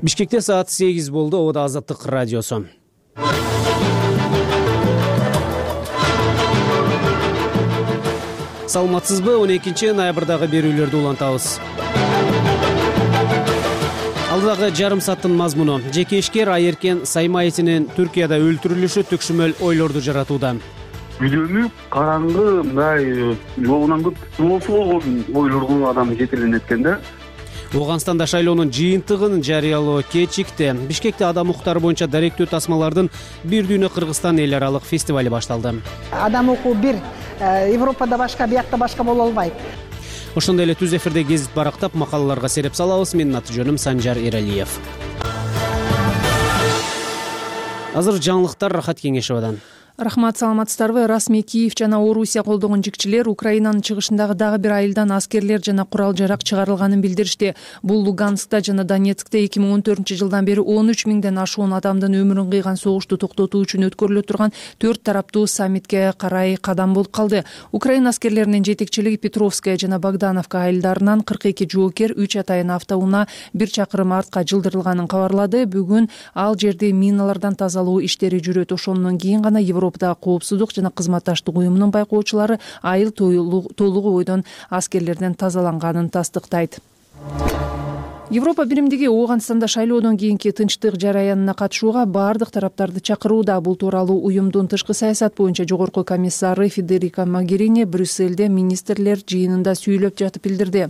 Бишкекте саат 8 болду. Ода Азаттык радиосу. Саламатсызбы? 12-ноябрдагы берүүлөрдү улантабыз. Алдыдагы жарым сааттын мазмуну: жеке ишкер Айеркен Саймаевдин Түркияда өлтүрүлүшү төкшүмөл ойлорду жаратууда. Үйлөнүп, караңгы, мындай жоогунан көп туурасы болгон ойлорго адам жетеленет экен да. Ооганстанда шайлоонун жыйынтыгын жарыялоо кечикти. Бишкекте адам укуктары боюнча даректүү тасмалардын бир дүйнө Кыргызстан эл аралык фестивали башталды. Адам укугу бир, Европада башка, биякта башка боло албайт. Ошондой эле түз эфирде гезит барактап макалаларга сереп салабыз. Менин аты жөнүм Санжар Эралиев. Азыр жаңылыктар Рахат Кеңешевадан. Рахмат, саламатсыздарбы? Расмий Киев жана Орусия колдогон жикчилер Украинанын чыгышындагы дагы бир айылдан аскерлер жана курал-жарак чыгарылганын билдиришти. Бул Луганскта жана Донецкте 2014-жылдан бери 13 миңден ашуун адамдын өмүрүн кыйган согушту токтотуу үчүн өткөрүлө турган 4 тараптуу саммитке карай кадам болуп калды. Украина аскерлеринин жетекчилиги Петровская жана Богдановка айылдарынан 42 жоокер 3 атайын автоунаа 1 чакырым артка жылдырылганын кабарлады. Бүгүн ал жерде миналардан тазалоо иштери жүрөт. Ошондон кийин гана Европада коопсуздук жана кызматташтык уюмунун байкоочулары айыл толугу бойдон аскерлерден тазаланганын тастыктайт. Европа биримдиги Ооганстанда шайлоодон кийинки тынчтык жараянына катышууга баардык тараптарды чакырууда. Бул тууралуу уюмдун тышкы саясат боюнча жогорку комиссары Федерика Могерини Брюссельде министрлер жыйынында сүйлөп жатып билдирди.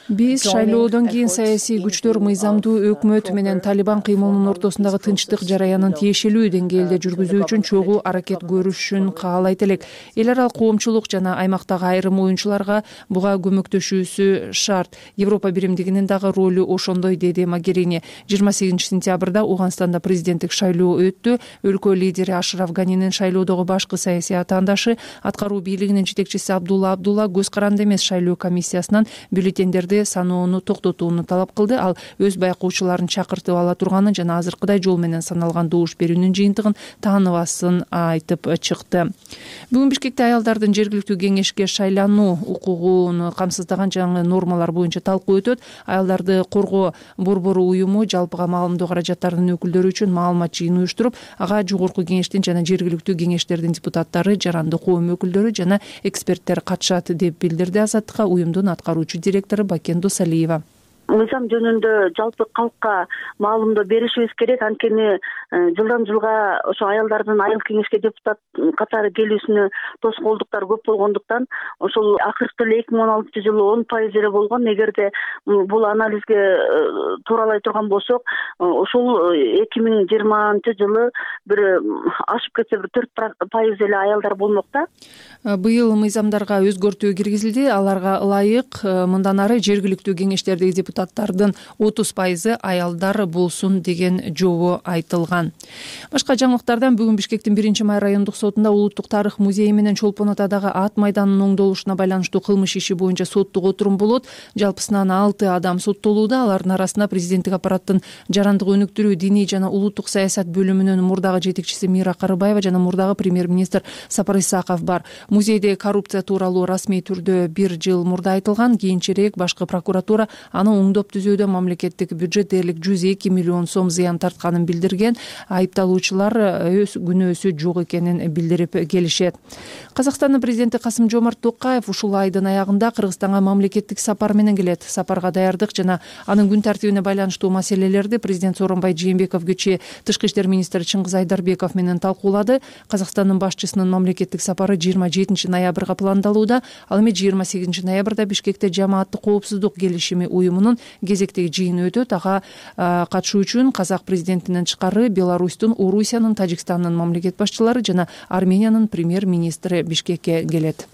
Биз шайлоодон кийин саясий күчтөр мыйзамдуу өкмөт менен Талибан кыймылынын ортосундагы тынчтык жараянын тиешелүү деңгээлде жүргүзүү үчүн чогуу аракет көрүшүн каалайт элек. Эл аралык коомчулук жана аймактагы айрым оюнчуларга буга көмөктөшүүсү шарт. Европа биримдигинин дагы ролу ошондой, деди Могерини. 28-сентябрда Ооганстанда президенттик шайлоо өттү. Өлкө лидери Ашраф Ганинин шайлоодогу башкы саясий атаандашы, аткаруу бийлигинин жетекчиси Абдулла көз каранды эмес шайлоо комиссиясынан бюллетендерди саноону токтотууну талап кылды. Ал өз байкоочуларын чакыртып ала турганын жана азыркыдай жол менен саналган добуш берүүнүн жыйынтыгын тааныбасын айтып чыкты. Бүгүн Бишкекте аялдардын жергиликтүү кеңешке шайлануу укугун камсыздаган жаңы нормалар боюнча талкуу өтөт. Аялдарды коргоо борбору уюму жалпыга маалымдоо каражаттарынын өкүлдөрү үчүн маалымат жыйын уюштуруп, ага жогорку кеңештин жана жергиликтүү кеңештердин депутаттары, жарандык коом өкүлдөрү жана эксперттер катышат деп билдирди Азаттыкка уюмдун аткаруучу директору Бакендо Салиева. Мыйзам жөнүндө жалпы калкка маалымдоо беришибиз керек. Анткени жылдан жылга ошо аялдардын айыл кеңешке депутат катары келүүсүнө тоскоолдуктар көп болгондуктан ошол акыркы эле 2016-жылы 10% эле болгон. Эгерде бул анализге тууралай турган болсок, ошол 2020-жылы бир ашып кетсе бир 4% эле аялдар болмок да. Быйыл мыйзамдарга өзгөртүү киргизилди. Аларга ылайык мындан ары жергиликтүү кеңештердеги депутаттардын 30% аялдар болсун деген жобо айтылган. Башка жаңылыктардан бүгүн Бишкектин 1-май райондук сотунда Улуттук тарых музейи менен Чолпон атадагы ат майданынын оңдолушуна байланыштуу кылмыш иши боюнча соттук отурум болот. Жалпысынан 6 адам соттолууда. Алардын арасында президенттик аппараттын жарандык өнүктүрүү, диний жана улуттук саясат бөлүмүнүн мурдагы жетекчиси Мира Карыбаева жана мурдагы премьер-министр Сапар Исаков бар. Музейде коррупция тууралуу расмий түрдө 1 жыл мурда айтылган. Кийинчерээк башкы прокуратура аны оңдоп түзүүдө мамлекеттик бюджет дээрлик 102 миллион сом зыян тартканын билдирген. Айыпталуучулар өз күнөөсү жок экенин билдирип келишет. Казакстандын президенти Касым-Жомарт Токаев ушул айдын аягында Кыргызстанга мамлекеттик сапар менен келет. Сапарга даярдык жана анын күн тартибине байланыштуу маселелерди президент Сооронбай Жээнбеков кечээ тышкы иштер министри Чыңгыз Айдарбеков менен талкуулады. Казакстандын башчысынын мамлекеттик сапары 27 ноябрга пландалууда. Ал эми 28 ноябрда Бишкекте жамааттык коопсуздук келишими уюмунун кезектеги жыйыны өтөт. Ага катышуу үчүн казак президентинен тышкары Беларустун, Орусиянын, Тажикстандын мамлекет башчылары жана Армениянын премьер-министри Бишкекке келет.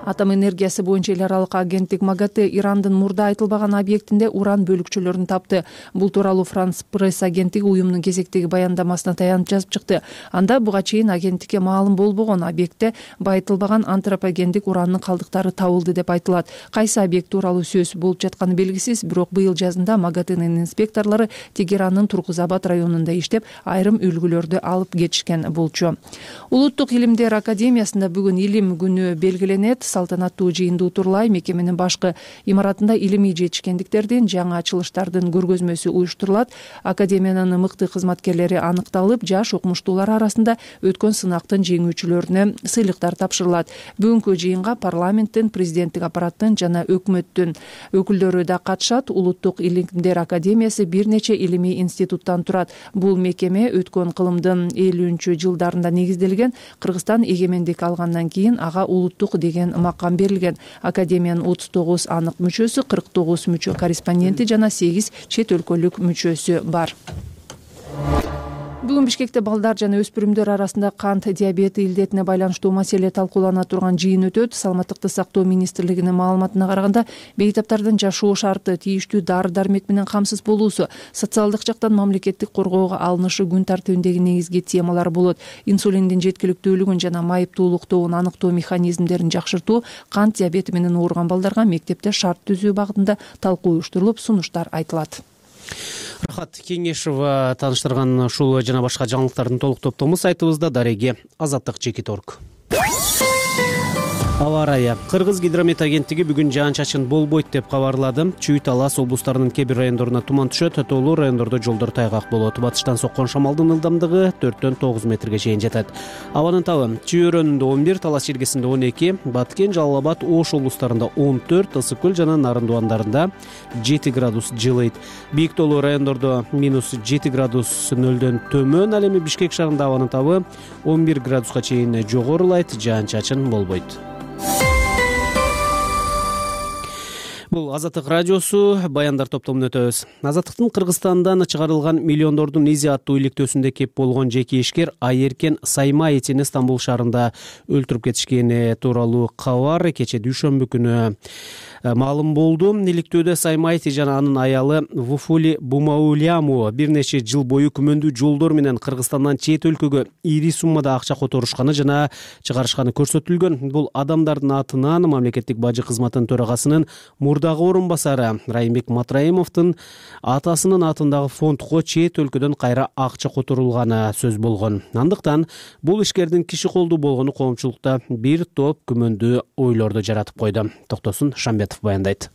Атом энергиясы боюнча эл аралык агенттик МАГАТЭ Ирандын мурда айтылбаган объектинде уран бөлүкчөлөрүн тапты. Бул тууралуу Франс пресс агенттиги уюмдун кезектеги баяндамасына таянып жазып чыкты. Анда буга чейин агенттикке маалым болбогон объектте байытылбаган антропогендик уранын калдыктары табылды деп айтылат. Кайсы объект тууралуу сөз болуп жатканы белгисиз, бирок быйыл жазында МАГАТЭнин инспекторлору Тегераннын Туркузабад районунда иштеп, айрым үлгүлөрдү алып кетишкен болчу. Улуттук илимдер академиясында бүгүн илим күнү белгиленет. салтанаттуу жыйынды утурлай мекеменин башкы имаратында илимий жетишкендиктердин жаңы ачылыштардын көргөзмөсү уюштурулат. Академиянын мыкты кызматкерлери аныкталып, жаш окумуштуулар арасында өткөн сынактын жеңүүчүлөрүнө сыйлыктар тапшырылат. Бүгүнкү жыйынга парламенттин, президенттик аппараттын жана өкмөттүн өкүлдөрү да катышат. Улуттук илимдер академиясы бир нече илимий институттан турат. Бул мекеме өткөн кылымдын 50-жылдарында негизделген. Кыргызстан эгемендик алгандан кийин ага улуттук деген макам берилген. Академиянын 39 анык мүчөсү, 49 мүчө корреспонденти жана 8 чет өлкөлүк мүчөсү бар. Бүгүн Бишкекте балдар жана өспүрүмдөр арасында кант диабети илдетине байланыштуу маселе талкуулана турган жыйын өтөт. Саламаттыкты сактоо министрлигинин маалыматына караганда, бейтаптардын жашоо шарты, тийиштүү дары-дармек менен камсыз болуусу, социалдык жактан мамлекеттик коргоого алынышы күн тартибиндеги негизги темалар болот. Инсулиндин жеткиликтүүлүгүн жана майыптуулуктун аныктоо механизмдерин жакшыртуу, кант диабети менен ооруган балдарга мектепте шарт түзүү багытында талкуу уюштурулуп, сунуштар айтылат. Рахат Кеңешова тааныштырган ушул жана башка жаңылыктардын толук топтому сайтыбызда. Дареги Азаттык Жекиторг. Аба ырайы. Кыргыз гидромет агенттиги бүгүн жаан-чачын болбойт деп кабарлады. Чүй, Талас облустарынын кээ бир райондоруна туман түшөт, тоолуу райондордо жолдор тайгак болот. Батыштан соккон шамалдын ылдамдыгы 4-9 метрге чейин жетет. Абанын табы Чүй өрөөнүндө 11, Талас жергесинде 12, Баткен, Жалал Абад, Ош облустарында 14, Ысык көл жана Нарындубандарында 7 градус жылыйт. Бийик тоолуу райондордо -7 градус нөлдөн төмөн. Ал эми Бишкек шаарында абанын табы 11 градуска чейин жогорулайт, жаан-чачын болбойт. Бул Азаттык радиосу, баяндар топтомун өтөбүз. Азаттыктын Кыргызстандан чыгарылган миллиондордун изи аттуу иликтөөсүндө кеп болгон жеке ишкер Айеркен Саймаитини Стамбул шаарында өлтүрүп кетишкени тууралуу кабар кече дүйшөмбү күнү маалым болду. Иликтөөдө Саймаити жана анын аялы Вуфули Бумауляму бир нече жыл бою күмөндүү жолдор менен Кыргызстандан чет өлкөгө ири суммада акча которушканы жана чыгарышканы көрсөтүлгөн. Бул адамдардын атынан мамлекеттик бажы кызматынын төрагасынын мурдагы орун басары Райымбек Матраимовдун атасынын атындагы фондко чет өлкөдөн кайра акча которулганы сөз болгон. Андыктан бул ишкердин киши колдуу болгону коомчулукта бир топ күмөндүү ойлорду жаратып койду. Токтосун Шамбетов баяндайт.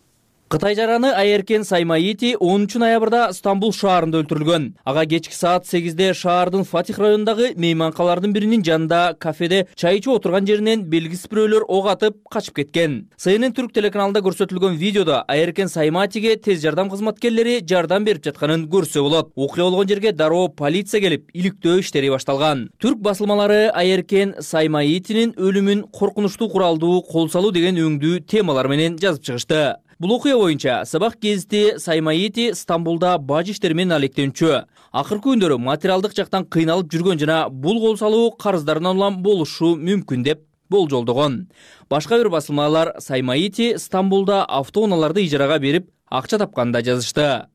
Кытай жараны Айеркен Саймаити 10 ноябрда Стамбул шаарында өлтүрүлгөн. Ага кечки саат 8-де шаардын Фатих районундагы мейманкалардын биринин жанында кафеде чай ичип отурган жеринен белгисиз бирөөлөр ок атып качып кеткен. CNN түрк телеканалында көрсөтүлгөн видеодо Айеркен Саймаитиге тез жардам кызматкерлери жардам берип жатканын көрсө болот. Окуя болгон жерге дароо полиция келип, иликтөө иштери башталган. Түрк басылмалары Айеркен Саймаитинин өлүмүн коркунучтуу куралдуу кол салуу деген өңдүү темалар менен жазып чыгышты. Бул окуя боюнча Сабак гезити Саймаити Стамбулда бажы иштери менен алектенчү. Акыркы күндөрү материалдык жактан кыйналып жүргөн жана бул кол салуу карыздарынан улам болушу мүмкүн деп болжолдогон. Башка бир басылмалар Саймаити Стамбулда автоунааларды ижарага берип акча тапканын да жазышты.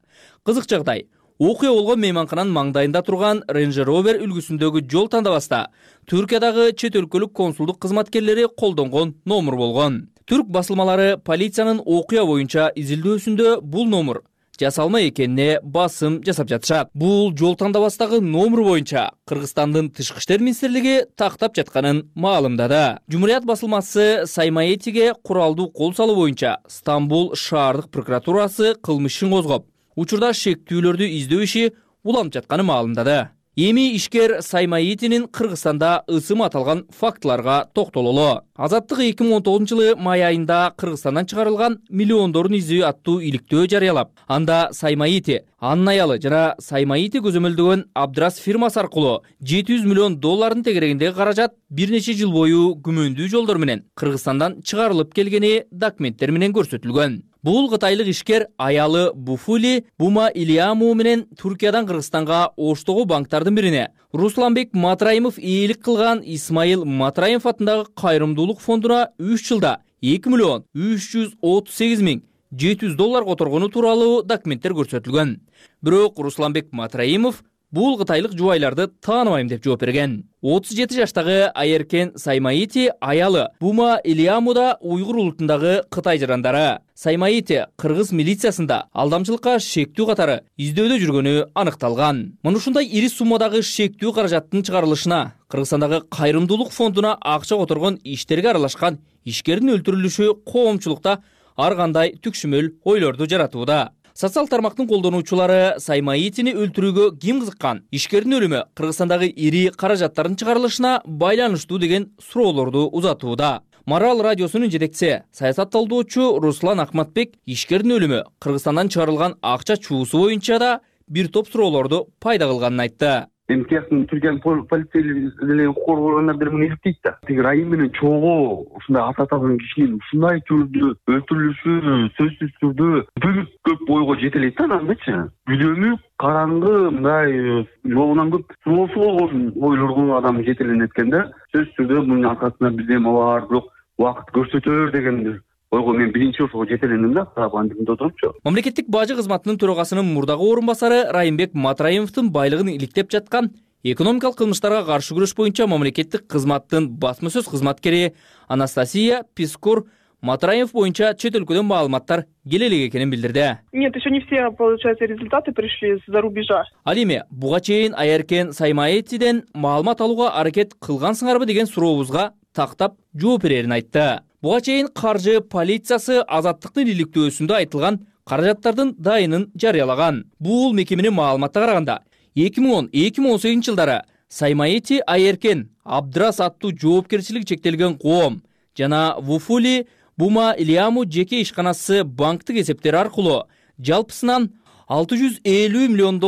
Кызык жагдай. Окуя болгон мейманкананын маңдайында турган Range Rover үлгүсүндөгү жол тандабаста Түркиядагы чет өлкөлүк консулдук кызматкерлери колдонгон номер болгон. Түрк басылмалары полициянын окуя боюнча изилдөөсүндө бул номер жасалма экенине басым жасап жатышат. Бул жол тандабастагы номер боюнча Кыргызстандын Тышкы иштер министрлиги тактап жатканын маалымдады. Жумурият басылмасы Саймаитиге куралдуу кол салуу боюнча Стамбул шаардык прокуратурасы кылмыш ишин козгоп, учурда шектүүлөрдү издөө иши уланып жатканын маалымдады. Эми ишкер Саймаитинин Кыргызстанда ысымы аталган фактыларга токтололу. Азаттык 2019-жылы май айында Кыргызстандан чыгарылган миллиондордун изи аттуу иликтөө жарыялап, анда Саймаити, анын аялы жана Саймаити көзөмөлдөгөн Абдрас фирмасы аркылуу $700 миллион тегерегиндеги каражат бир нече жыл бою күмөндүү жолдор менен Кыргызстандан чыгарылып келгени документтер менен көрсөтүлгөн. Бул кытайлык ишкер аялы Буфули Бумауляму менен Түркиядан Кыргызстанга Оштогу банктардын бирине Русланбек Матраимов ээлик кылган Исмаил Матраимов атындагы кайрымдуулук фондуна 3 жылда $2,338,700 которгону тууралуу документтер көрсөтүлгөн. Бирок Русланбек Матраимов бул кытайлык жубайларды тааныбайм деп жооп берген. 37 жаштагы Айеркен Саймаити аялы Бумаулямуда уйгур улутундагы кытай жарандары. Саймаити кыргыз милициясында алдамчылыкка шектүү катары издөөдө жүргөнү аныкталган. Мына ушундай ири суммадагы шектүү каражаттын чыгарылышына Кыргызстандагы кайрымдуулук фондуна акча которгон иштерге аралашкан ишкердин өлтүрүлүшү коомчулукта ар кандай түкшүмөл ойлорду жаратууда. Социал тармактын колдонуучулары Саймаитини өлтүрүүгө ким кызыккан, ишкердин өлүмү Кыргызстандагы ири каражаттардын чыгарылышына байланыштуу деген суроолорду узатууда. Марал радиосунун жетекчиси, саясатталдоочу Руслан Акматбек ишкердин өлүмү Кыргызстандан чыгарылган акча чуусу боюнча да бир топ суроолорду пайда кылганын айтты. Тияктын Түркиянын полицейлери коргоогондар мени иликтейт да. Тиги Райым менен чогуу ушундай ат аталган кишинин ушундай түрдө өлтүрүлүшү сөзсүз түрдө бүт көп ойго жете элек да анандачы. Бүлөнүп, караңгы, мындай жолунан көп суроосу болгон ойлорго адам жетеленет экен да. Сөзсүз түрдө мунун аркасында бирдеме бар, бирок убакыт көрсөтөр деген ойго мен биринчи ошого жетелендим да, андымда отурупчу. Мамлекеттик бажы кызматынын төрагасынын мурдагы орун басары Райымбек Матраимовдун байлыгын иликтеп жаткан экономикалык кылмыштарга каршы күрөш боюнча мамлекеттик кызматтын басма сөз кызматкери Анастасия Пискур Матраимов боюнча чет өлкөдөн маалыматтар келе элек экенин билдирди. Нет, еще не все, получается, результаты пришли из-за рубежа. Ал эми буга чейин Айеркен Саймаитиден маалымат алууга аракет кылгансыңарбы деген сурообузга тактап жооп берерин айтты. Буга чейин каржы полициясы Азаттыктын иликтөөсүндө айтылган каражаттардын дайынын жарыялаган. Бул мекеменин маалыматына караганда 2010-2018 жылдары Саймаити Айеркен Абдрас аттуу жоопкерчилиги чектелген коом жана Вуфули Бума Илиаму жеке ишканасы банктык эсептери аркылуу жалпысынан $650 миллион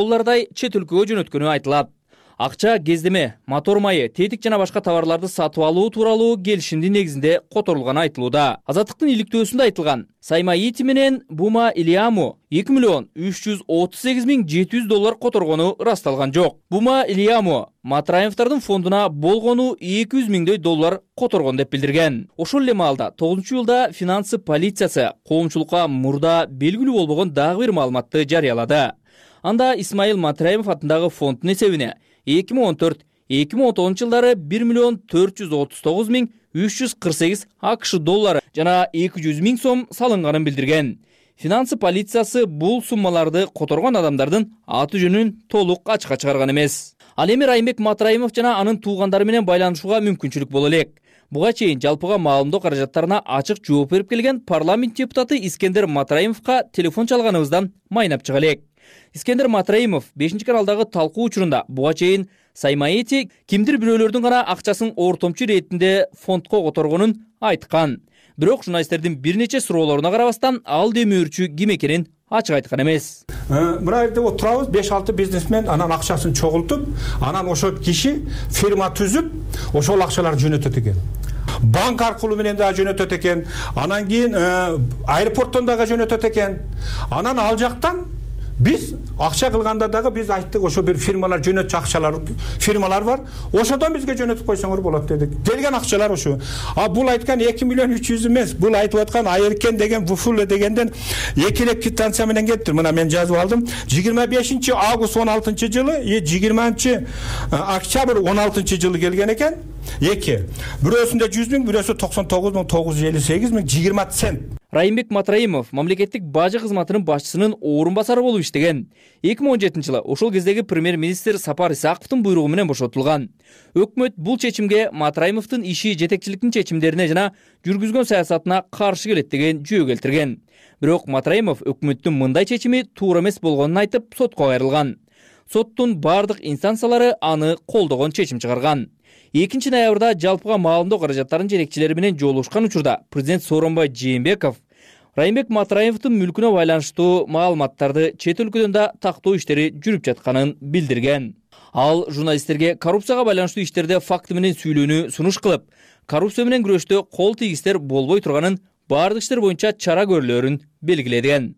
чет өлкөгө жөнөткөнү айтылат. Акча кездеме, мотор майы, тетик жана башка товарларды сатып алуу тууралуу келишимдин негизинде которулганы айтылууда. Азаттыктын иликтөөсүндө айтылган Саймаити менен Бума Илиаму $2,338,700 которгону ырасталган жок. Бума Илиаму Матраимовдордун фондуна болгону $200,000 которгон деп билдирген. Ошол эле маалда 9-жылда финансы полициясы коомчулукка мурда белгилүү болбогон дагы бир маалыматты жарыялады. Анда Исмаил Матраимов атындагы фонддун эсебине 2014-2019 жылдары $1,439,348 АКШ жана $200,000 салынганын билдирген. Финансы полициясы бул суммаларды которгон адамдардын аты жөнүн толук ачыкка чыгарган эмес. Ал эми Райымбек Матраимов жана анын туугандары менен байланышууга мүмкүнчүлүк боло элек. Буга чейин жалпыга маалымдоо каражаттарына ачык жооп берип келген парламент депутаты Искендер Матраимовго телефон чалганыбыздан майнап чыга элек. Искендер Матраимов 5-каналдагы талкуу учурунда буга чейин Саймаити кимдир бирөөлөрдүн гана акчасын ортомчу иретинде фондко которгонун айткан. Бирок журналисттердин бир нече суроолоруна карабастан ал демөөрчү ким экенин ачык айткан эмес. Мына жерде отурабыз 5-6 бизнесмен анан акчасын чогултуп, анан ошол киши фирма түзүп, ошол акчаларды жөнөтөт экен. Банк аркылуу менен да жөнөтөт экен. Анан кийин аэропорттон дагы жөнөтөт экен. Анан ал жактан биз акча кылганда дагы биз айттык, ошо бир фирмалар жөнөтчү акчалар фирмалар бар. Ошодон бизге жөнөтүп койсоңор болот дедик. Келген акчалар ошо. Бул айткан 2,300,000 эмес. Бул айтып аткан Айеркен деген Вуфуле дегенден экилеп квитанция менен келиптир. Мына мен жазып алдым. 25 август 16 жылы, 20 октябрь 16 жылы келген экен. Эки. Бирөөсүндө 100,000, бирөөсү 99,958,000 20 цент. Райымбек Матраимов мамлекеттик бажы кызматынын башчысынын орун басары болуп иштеген. 2017 жылы ошол кездеги премьер-министр Сапар Исаковдун буйругу менен бошотулган. Өкмөт бул чечимге Матраимовдун иши жетекчиликтин чечимдерине жана жүргүзгөн саясатына каршы келет деген жүйө келтирген. Бирок Матраимов өкмөттүн мындай чечими туура эмес болгонун айтып, сотко кайрылган. Соттун бардык инстанциялары аны колдогон чечим чыгарган. 2 ноябрда жалпыга маалымдоо каражаттарынын жетекчилери менен жолугушкан учурда президент Сооронбай Жээнбеков Райымбек Матраимовдун мүлкүнө байланыштуу маалыматтарды чет өлкөдөн да тактоо иштери жүрүп жатканын билдирген. Ал журналисттерге коррупцияга байланыштуу иштерде факты менен сүйлөөнү сунуш кылып, коррупция менен күрөштө кол тийгистер болбой турганын, бардык иштер боюнча чара көрүлөрүн белгилеген.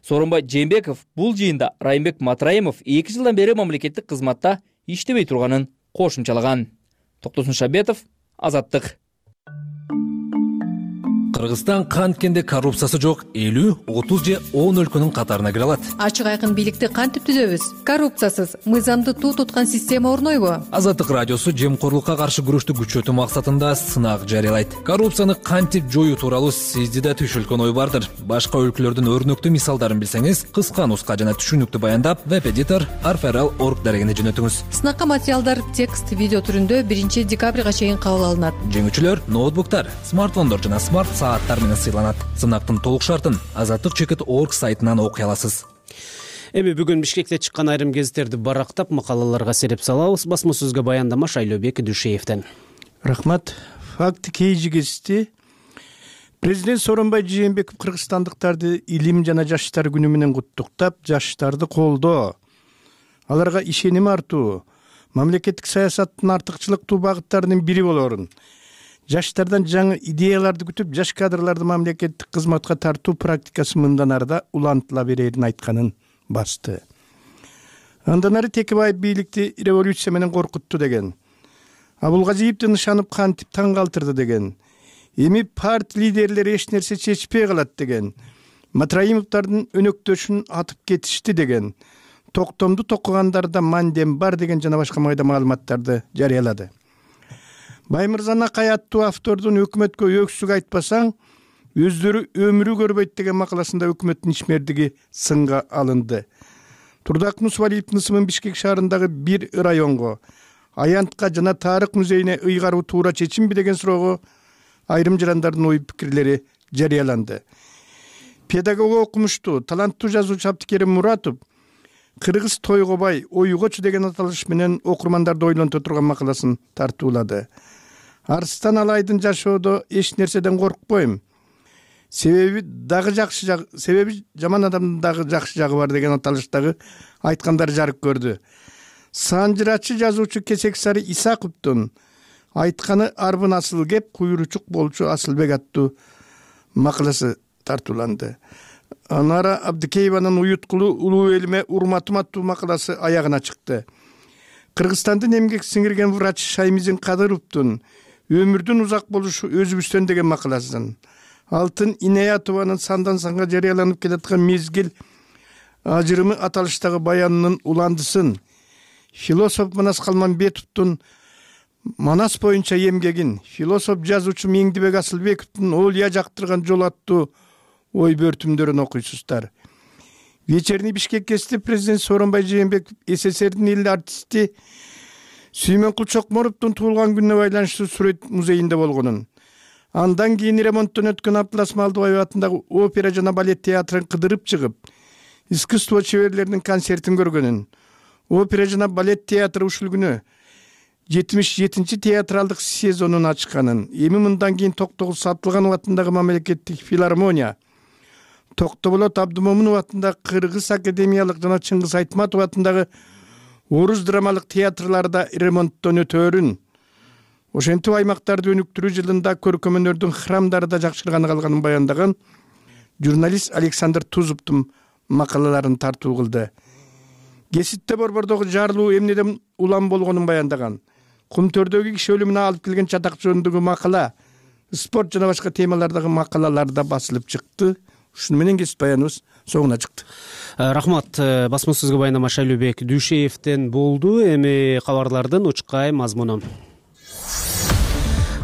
Сооронбай Жээнбеков бул жыйында Райымбек Матраимов 2 жылдан бери мамлекеттик кызматта иштебей турганын кошумчалаган. Токтосун Шабетов, Азаттык. Кыргызстан канткенде коррупциясы жок 50, 30 же 10 өлкөнүн катарына кире алат. Ачык айкын бийликти кантип түзөбүз? Коррупциясыз, мыйзамды туу туткан система орнойбу? Азаттык радиосу жемкорлукка каршы күрөштү күчөтүү максатында сынак жарыялайт. Коррупцияны кантип жоюу тууралуу сизде да түшүлгөн ой бардыр. Башка өлкөлөрдүн өрнөктүү мисалдарын билсеңиз, кыска нуска жана түшүнүктүү баяндап веб-эдитор arferal.org дарегине жөнөтүңүз. Сынакка материалдар текст, видео түрүндө 1 декабрга чейин кабыл алынат. Жеңүүчүлөр ноутбуктар, смартфондор жана смарт сааттар менен сыйланат. Сынактын толук шартын azattik.org сайтынан окуй аласыз. Эми бүгүн Бишкекте чыккан айрым гезиттерди барактап макалаларга сереп салабыз. Басма сөзгө баяндама Шайлообек Дүйшеевден. Рахмат. Факты кейжи гезити. Президент Сооронбай Жээнбеков кыргызстандыктарды илим жана жаштар күнү менен куттуктап, жаштарды колдоо, аларга ишеним артуу, мамлекеттик саясаттын артыкчылыктуу багыттарынын бири болорун, жаштардан жаңы идеяларды күтүп, жаш кадрларды мамлекеттик кызматка тартуу практикасы мындан арда улантыла берерин айтканын басты. Андан ары Текебаев бийликти революция менен коркутту деген. Абулгазиевди нышанып кантип таң калтырды деген. Эми парт лидерлери эч нерсе чечпей калат деген. Матраимовдардын өнөктөшүн атып кетишти деген. Токтомду токугандарда мандем бар деген жана башка майда маалыматтарды жарыялады. Баймырзан Акай аттуу автордун өкмөткө өксүк айтпасаң, өздөрү өмүрү көрбөйт деген макаласында өкмөттүн ишмердиги сынга алынды. Турдак Мусвалиевдин ысымын Бишкек шаарындагы бир районго, аянтка жана тарых музейине ыйгаруу туура чечимби деген суроого айрым жарандардын ой пикирлери жарыяланды. Педагог окумуштуу, таланттуу жазуучу Абдикерим Муратов Кыргыз тойгобай, ойгочу деген аталыш менен окурмандарды ойлонто турган макаласын тартуулады. Арстан Алайдын жашоодо эч нерседен коркпойм. Себеби жаман адамдын дагы жакшы жагы бар деген аталыштагы айткандары жарык көрдү. Санжырачы жазуучу Кесек Сары Исаковдун айтканы арбын асыл кеп, куйручук болчу Асылбек аттуу макаласы тартууланды. Анара Абдикееванын уюткулуу улуу элиме урматым аттуу макаласы аягына чыкты. Кыргызстандын эмгек сиңирген врач Шаймизин Кадыровдун өмүрдүн узак болушу өзүбүздөн деген макаласын, Алтын Инаятованын сандан санга жарыяланып келаткан мезгил ажырымы аталыштагы баянынын уландысын, философ Манас Калманбетовдун Манас боюнча эмгегин, философ жазуучу Меңдибек Асылбековдун Олия жактырган жол аттуу ой бөртүмдөрүн окуйсуздар. Вечерний Бишкек гезити президент Сооронбай Жээнбеков СССРдин эл артисти Сүймөнкул Чокморовдун туулган күнүнө байланыштуу сүрөт музейинде болгонун, андан кийин ремонттон өткөн Абдылас Малдыбаев атындагы опера жана балет театрын кыдырып чыгып, искусство чеберлеринин концертин көргөнүн, опера жана балет театры ушул күнү 77-чи театралдык сезонун ачканын, эми мындан кийин Токтогул Сатылганов атындагы мамлекеттик филармония, Токтоболот Абдымомунов атындагы Кыргыз академиялык жана Чыңгыз Айтматов атындагы орус драмалык театрларда ремонттон өтөөрүн, ошентип аймактарды өнүктүрүү жылында көркөм өнөрдүн храмдары да жакшырганы калганын баяндаган журналист Александр Тузовдун макалаларын тартуу кылды. Гезитте борбордогу жарылуу эмнеден улам болгонун баяндаган, Кумтөрдөгү киши өлүмүнө алып келген чатак жөнүндөгү макала, спорт жана башка темалардагы макалалар да басылып чыкты. Ушуну менен гезит баяныбыз соңуна чыкты. Рахмат. Басма сөзгө баяндама Шайлообек Дүйшеевден болду. Эми кабарлардын учкай мазмуну.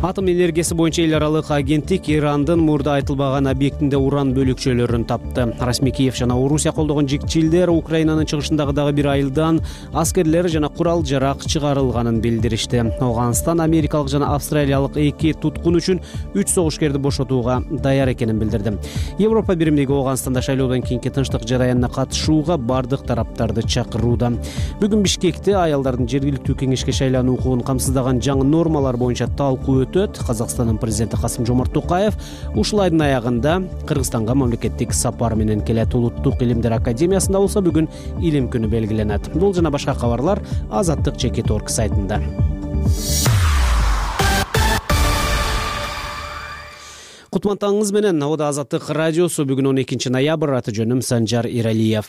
Атом энергиясы боюнча эл аралык агенттик Ирандын мурда айтылбаган объектинде уран бөлүкчөлөрүн тапты. Расмий Киев жана Орусия колдогон жигчилдер Украинанын чыгышындагы дагы бир айылдан аскерлер жана курал жарак чыгарылганын билдиришти. Афганистан америкалык жана австралиялык 2 туткун үчүн 3 согушкерди бошотууга даяр экенин билдирди. Европа биримдиги Афганистанда шайлоодон кийинки тынчтык жараянына катышууга бардык тараптарды чакырууда. Бүгүн Бишкекте аялдардын жергиликтүү кеңешке шайлануу укугун камсыздаган жаңы нормалар боюнча талкуу өтөт. Казакстандын президенти Касым-Жомарт Токаев ушул айдын аягында Кыргызстанга мамлекеттик сапар менен келет. Улуттук илимдер академиясында болсо бүгүн илим күнү белгиленет. Бул жана башка кабарлар azattik.org сайтында. Кутмандыгыңыз менен Абада Азаттык радиосу. Бүгүн 12 ноябрь, аты жөнүм Санжар Иралиев.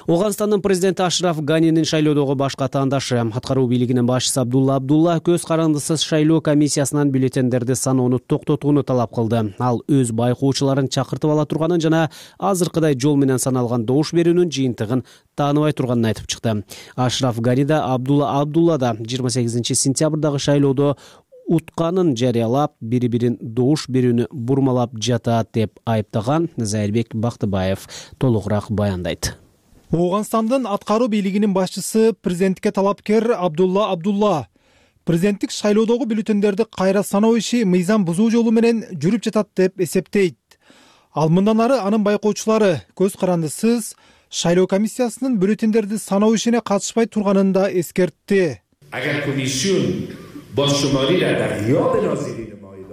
Оганстандын президенти Ашраф Ганинин шайлоодогу башка атаандашы, аткаруу бийлигинин башчысы Абдулла Абдулла көз карандысыз шайлоо комиссиясынан бюллетендерди саноону токтотууну талап кылды. Ал өз байкоочуларын чакыртып ала турганын жана азыркыдай жол менен саналган добуш берүүнүн жыйынтыгын тааныбай турганын айтып чыкты. Ашраф Гани да Абдулла Абдулла да 28 сентябрдагы шайлоодо утканын жарыялап, бири-бирин добуш берүүнү бурмалап жатат деп айыптаган. Зайырбек Бактыбаев толугураак баяндайт. Оганстандын аткаруу бийлигинин башчысы президентке талапкер Абдулла Абдулла президенттик шайлоодогу бюллетендерди кайра саноо иши мыйзам бузуу жолу менен жүрүп жатат деп эсептейт. Ал мындан ары анын байкоочулары көз карандысыз шайлоо комиссиясынын бюллетендерди саноо ишине катышпай турганын да эскертти.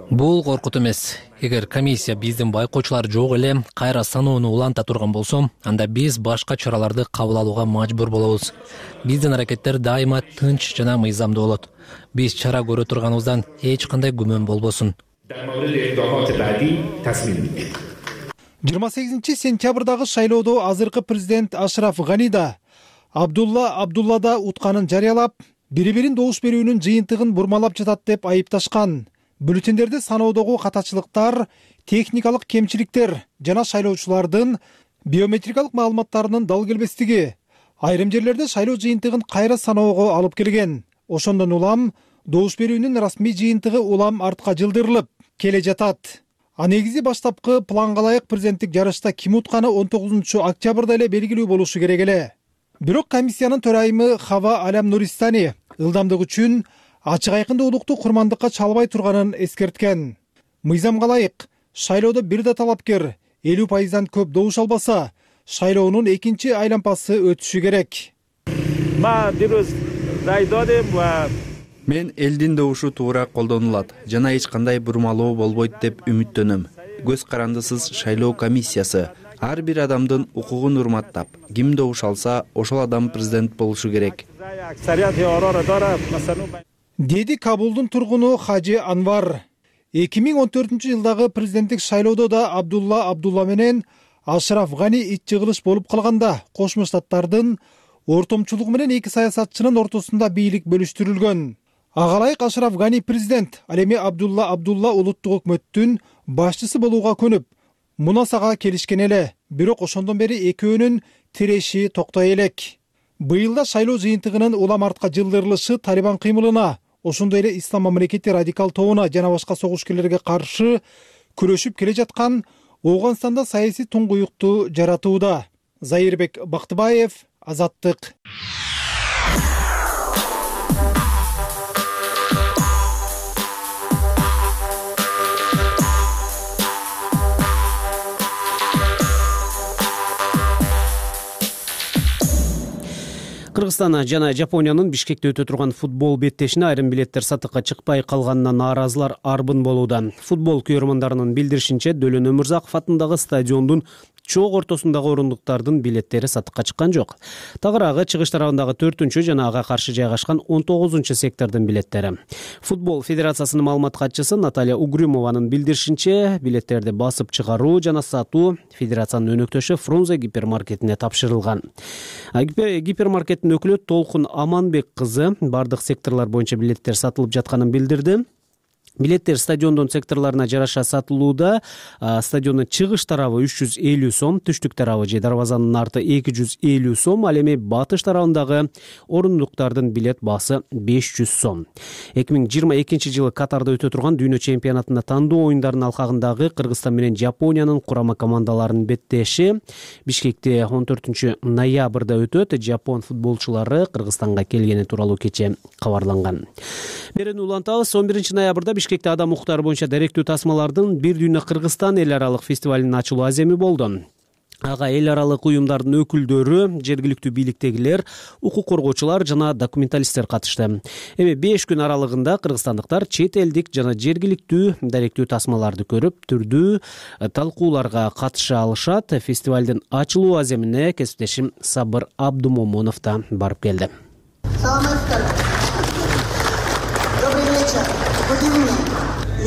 Бул коркут эмес. Эгер комиссия биздин байкоочулар жок эле кайра саноону уланта турган болсо, анда биз башка чараларды кабыл алууга мажбур болобуз. Биздин аракеттер дайыма тынч жана мыйзамдуу болот. Биз чара көрө турганыбыздан эч кандай күмөн болбосун. 28 сентябрдагы шайлоодо азыркы президент Ашраф Гани да Абдулла Абдулла да утканын жарыялап, бири-бирин добуш берүүнүн жыйынтыгын бурмалап жатат деп айыпташкан. Бюллетендерди саноодогу катачылыктар, техникалык кемчиликтер жана шайлоочулардын биометрикалык маалыматтарынын дал келбестиги айрым жерлерде шайлоо жыйынтыгын кайра саноого алып келген. Ошондон улам добуш берүүнүн расмий жыйынтыгы улам артка жылдырылып келе жатат. А негизи баштапкы планга ылайык президенттик жарышта ким утканы 19 октябрда эле белгилүү болушу керек эле. Бирок комиссиянын төрайымы Хава Алям Нуристани ылдамдык үчүн ачык айкындуулукту курмандыкка чалбай турганын эскерткен. Мыйзамга ылайык шайлоодо бир да талапкер 50%дан көп добуш албаса, шайлоонун экинчи айлампасы өтүшү керек. Мен элдин добушу туура колдонулат жана эч кандай бурмалоо болбойт деп үмүттөнөм. Көз карандысыз шайлоо комиссиясы ар бир адамдын укугун урматтап, ким добуш алса, ошол адам президент болушу керек. Деди Кабулдун тургуну Хажи Анвар. 2014-жылдагы президенттик шайлоодо да Абдулла Абдулла менен Ашраф Гани ич жыгылыш болуп калганда, Кошмо Штаттардын ортомчулугу менен эки саясатчынын ортосунда бийлик бөлүштүрүлгөн. Ага ылайык Ашраф Гани президент, ал эми Абдулла Абдулла улуттук өкмөттүн башчысы болууга көнүп, мунасага келишкен эле. Бирок ошондон бери экөөнүн тиреши токтой элек. Быйылда шайлоо жыйынтыгынын улам артка жылдырылышы Талибан кыймылына, ошондой эле Ислам мамлекети радикал тобуна жана башка согушкерлерге каршы күрөшүп келе жаткан Оганстанда саясий туңгуюкту жаратууда. Зайырбек Бактыбаев, Азаттык. Кыргызстан жана Жапониянын Бишкекте өтө турган футбол беттешине айрым билеттер сатыкка чыкпай калганына нааразылар арбын болууда. Футбол көрөрмандарынын билдиришинче, Дөлөн Өмүрзаков атындагы стадиондун чоң ортосундагы орундуктардын билеттери сатыкка чыккан жок. Тагыраагы чыгыш тарабындагы 4-чү жана ага каршы жайгашкан 19-чу сектордун билеттери. Футбол федерациясынын маалымат катчысы Наталья Угрюмованын билдиришинче, билеттерди басып чыгаруу жана сатуу федерациянын өнөктөшү Фрунзе гипермаркетине тапшырылган. Гипермаркеттин өкүлү Толкун Аманбек кызы бардык секторлор боюнча билеттер сатылып жатканын билдирди. Билеттер стадиондун секторлоруна жараша сатылууда. Стадиондун чыгыш тарабы 350 сом, түштүк тарабы же дарбазанын арты 250 сом, ал эми батыш тарабындагы орундуктардын билет баасы 500 сом. 2022-жылы Катарда өтө турган дүйнө чемпионатында тандоо оюндарынын алкагындагы Кыргызстан менен Жапониянын курама командаларынын беттеши Бишкекте 14 ноябрда өтөт. Жапон футболчулары Кыргызстанга келгени тууралуу кече кабарланган. Берүүнү улантабыз. 11 ноябрда Бишкекте адам укуктары боюнча даректүү тасмалардын Бир дүйнө Кыргызстан эл аралык фестивалынын ачылуу аземи болду. Ага эл аралык уюмдардын өкүлдөрү, жергиликтүү бийликтегилер, укук коргоочулар жана документалисттер катышты. Эми 5 күн аралыгында кыргызстандыктар чет элдик жана жергиликтүү даректүү тасмаларды көрүп, түрдүү талкууларга катыша алышат. Фестивалдын ачылуу аземине кесиптешим Сабыр Абдумомунов да барып келди. Добрый вечер.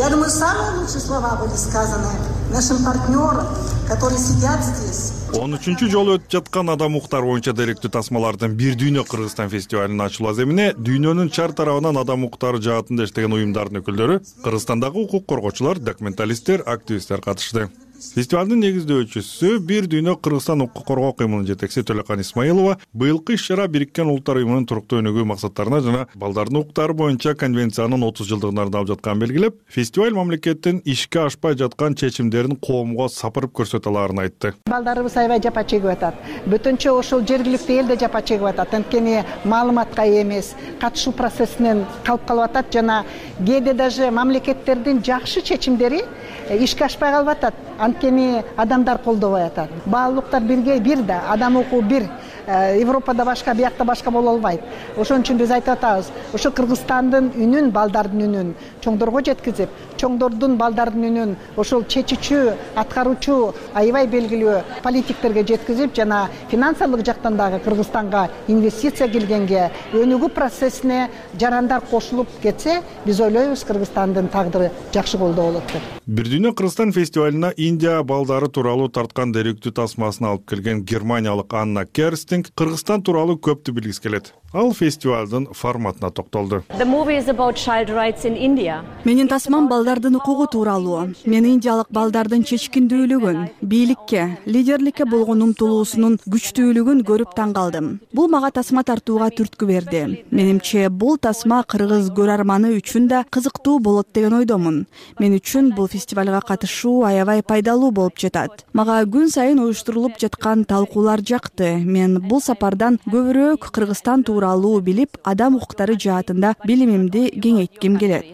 Я думаю, самые лучшие слова были сказаны нашим партнерам, которые сидят здесь. 13 жолу өтүп жаткан адам укуктары боюнча деректүү тасмалардын Бир дүйнө Кыргызстан фестивалынын ачылуу аземине дүйнөнүн чар тарабынан адам укуктары жаатында иштеген уюмдардын өкүлдөрү, Кыргызстандагы укук коргоочулар, документалисттер, активисттер катышты. Фестивалдын негиздөөчүсү Бир дүйнө Кыргызстан укук коргоо кыймылынын жетекчиси Төлөкан Исмаилова быйылкы иш-чара Бириккен Улуттар уюмунун туруктуу өнүгүү максаттарына жана балдардын укуктары боюнча конвенциянын 30 жылдыгына арналып жатканын белгилеп, фестиваль мамлекеттин ишке ашпай жаткан чечимдерин коомго сапырып көрсөтө алаарын айтты. Балдарыбыз аябай жапа чегип атат. Бүтүнчө ошол жергиликтүү эл да жапа чегип атат. Анткени маалыматка эмес, катышуу процессинен калып атат жана кээде даже мамлекеттердин жакшы чечимдери ишке ашпай калып атат. Анткени адамдар колдобой атат. Баалуулуктар бир да, адам укугу бир. Европада башка, биякта башка боло албайт. Ошон үчүн биз айтып атабыз, ошо Кыргызстандын үнүн, балдардын үнүн чоңдорго жеткизип, чоңдордун балдардын үнүн ошол чечүүчү, аткаруучу аябай белгилүү политиктерге жеткизип, жана финансылык жактан дагы Кыргызстанга инвестиция келгенге, өнүгүү процессине жарандар кошулуп кетсе, биз ойлойбуз Кыргызстандын тагдыры жакшы колдо болот деп. Бир дүйнө Кыргызстан фестивалына Индия балдары тууралуу тарткан деректүү тасмасын алып келген германиялык Анна Керстинг Кыргызстан тууралуу көптү билгиси келет. Ал фестивалдын форматына токтолду. Менин тасмам балдардын укугу тууралуу. Мен индиялык балдардын чечкиндүүлүгүн, бийликке, лидерликке болгон умтулуусунун күчтүүлүгүн көрүп таң калдым. Бул мага тасма тартууга түрткү берди. Менимче бул тасма кыргыз көрөрманы үчүн да кызыктуу болот деген ойдомун. Мен үчүн бул фестивалга катышуу аябай пайдалуу болуп жатат. Мага күн сайын уюштурулуп жаткан талкуулар жакты. Мен бул сапардан көбүрөөк Кыргызстан тууралуу билип, адам укуктары жаатында билимимди кеңейтким келет.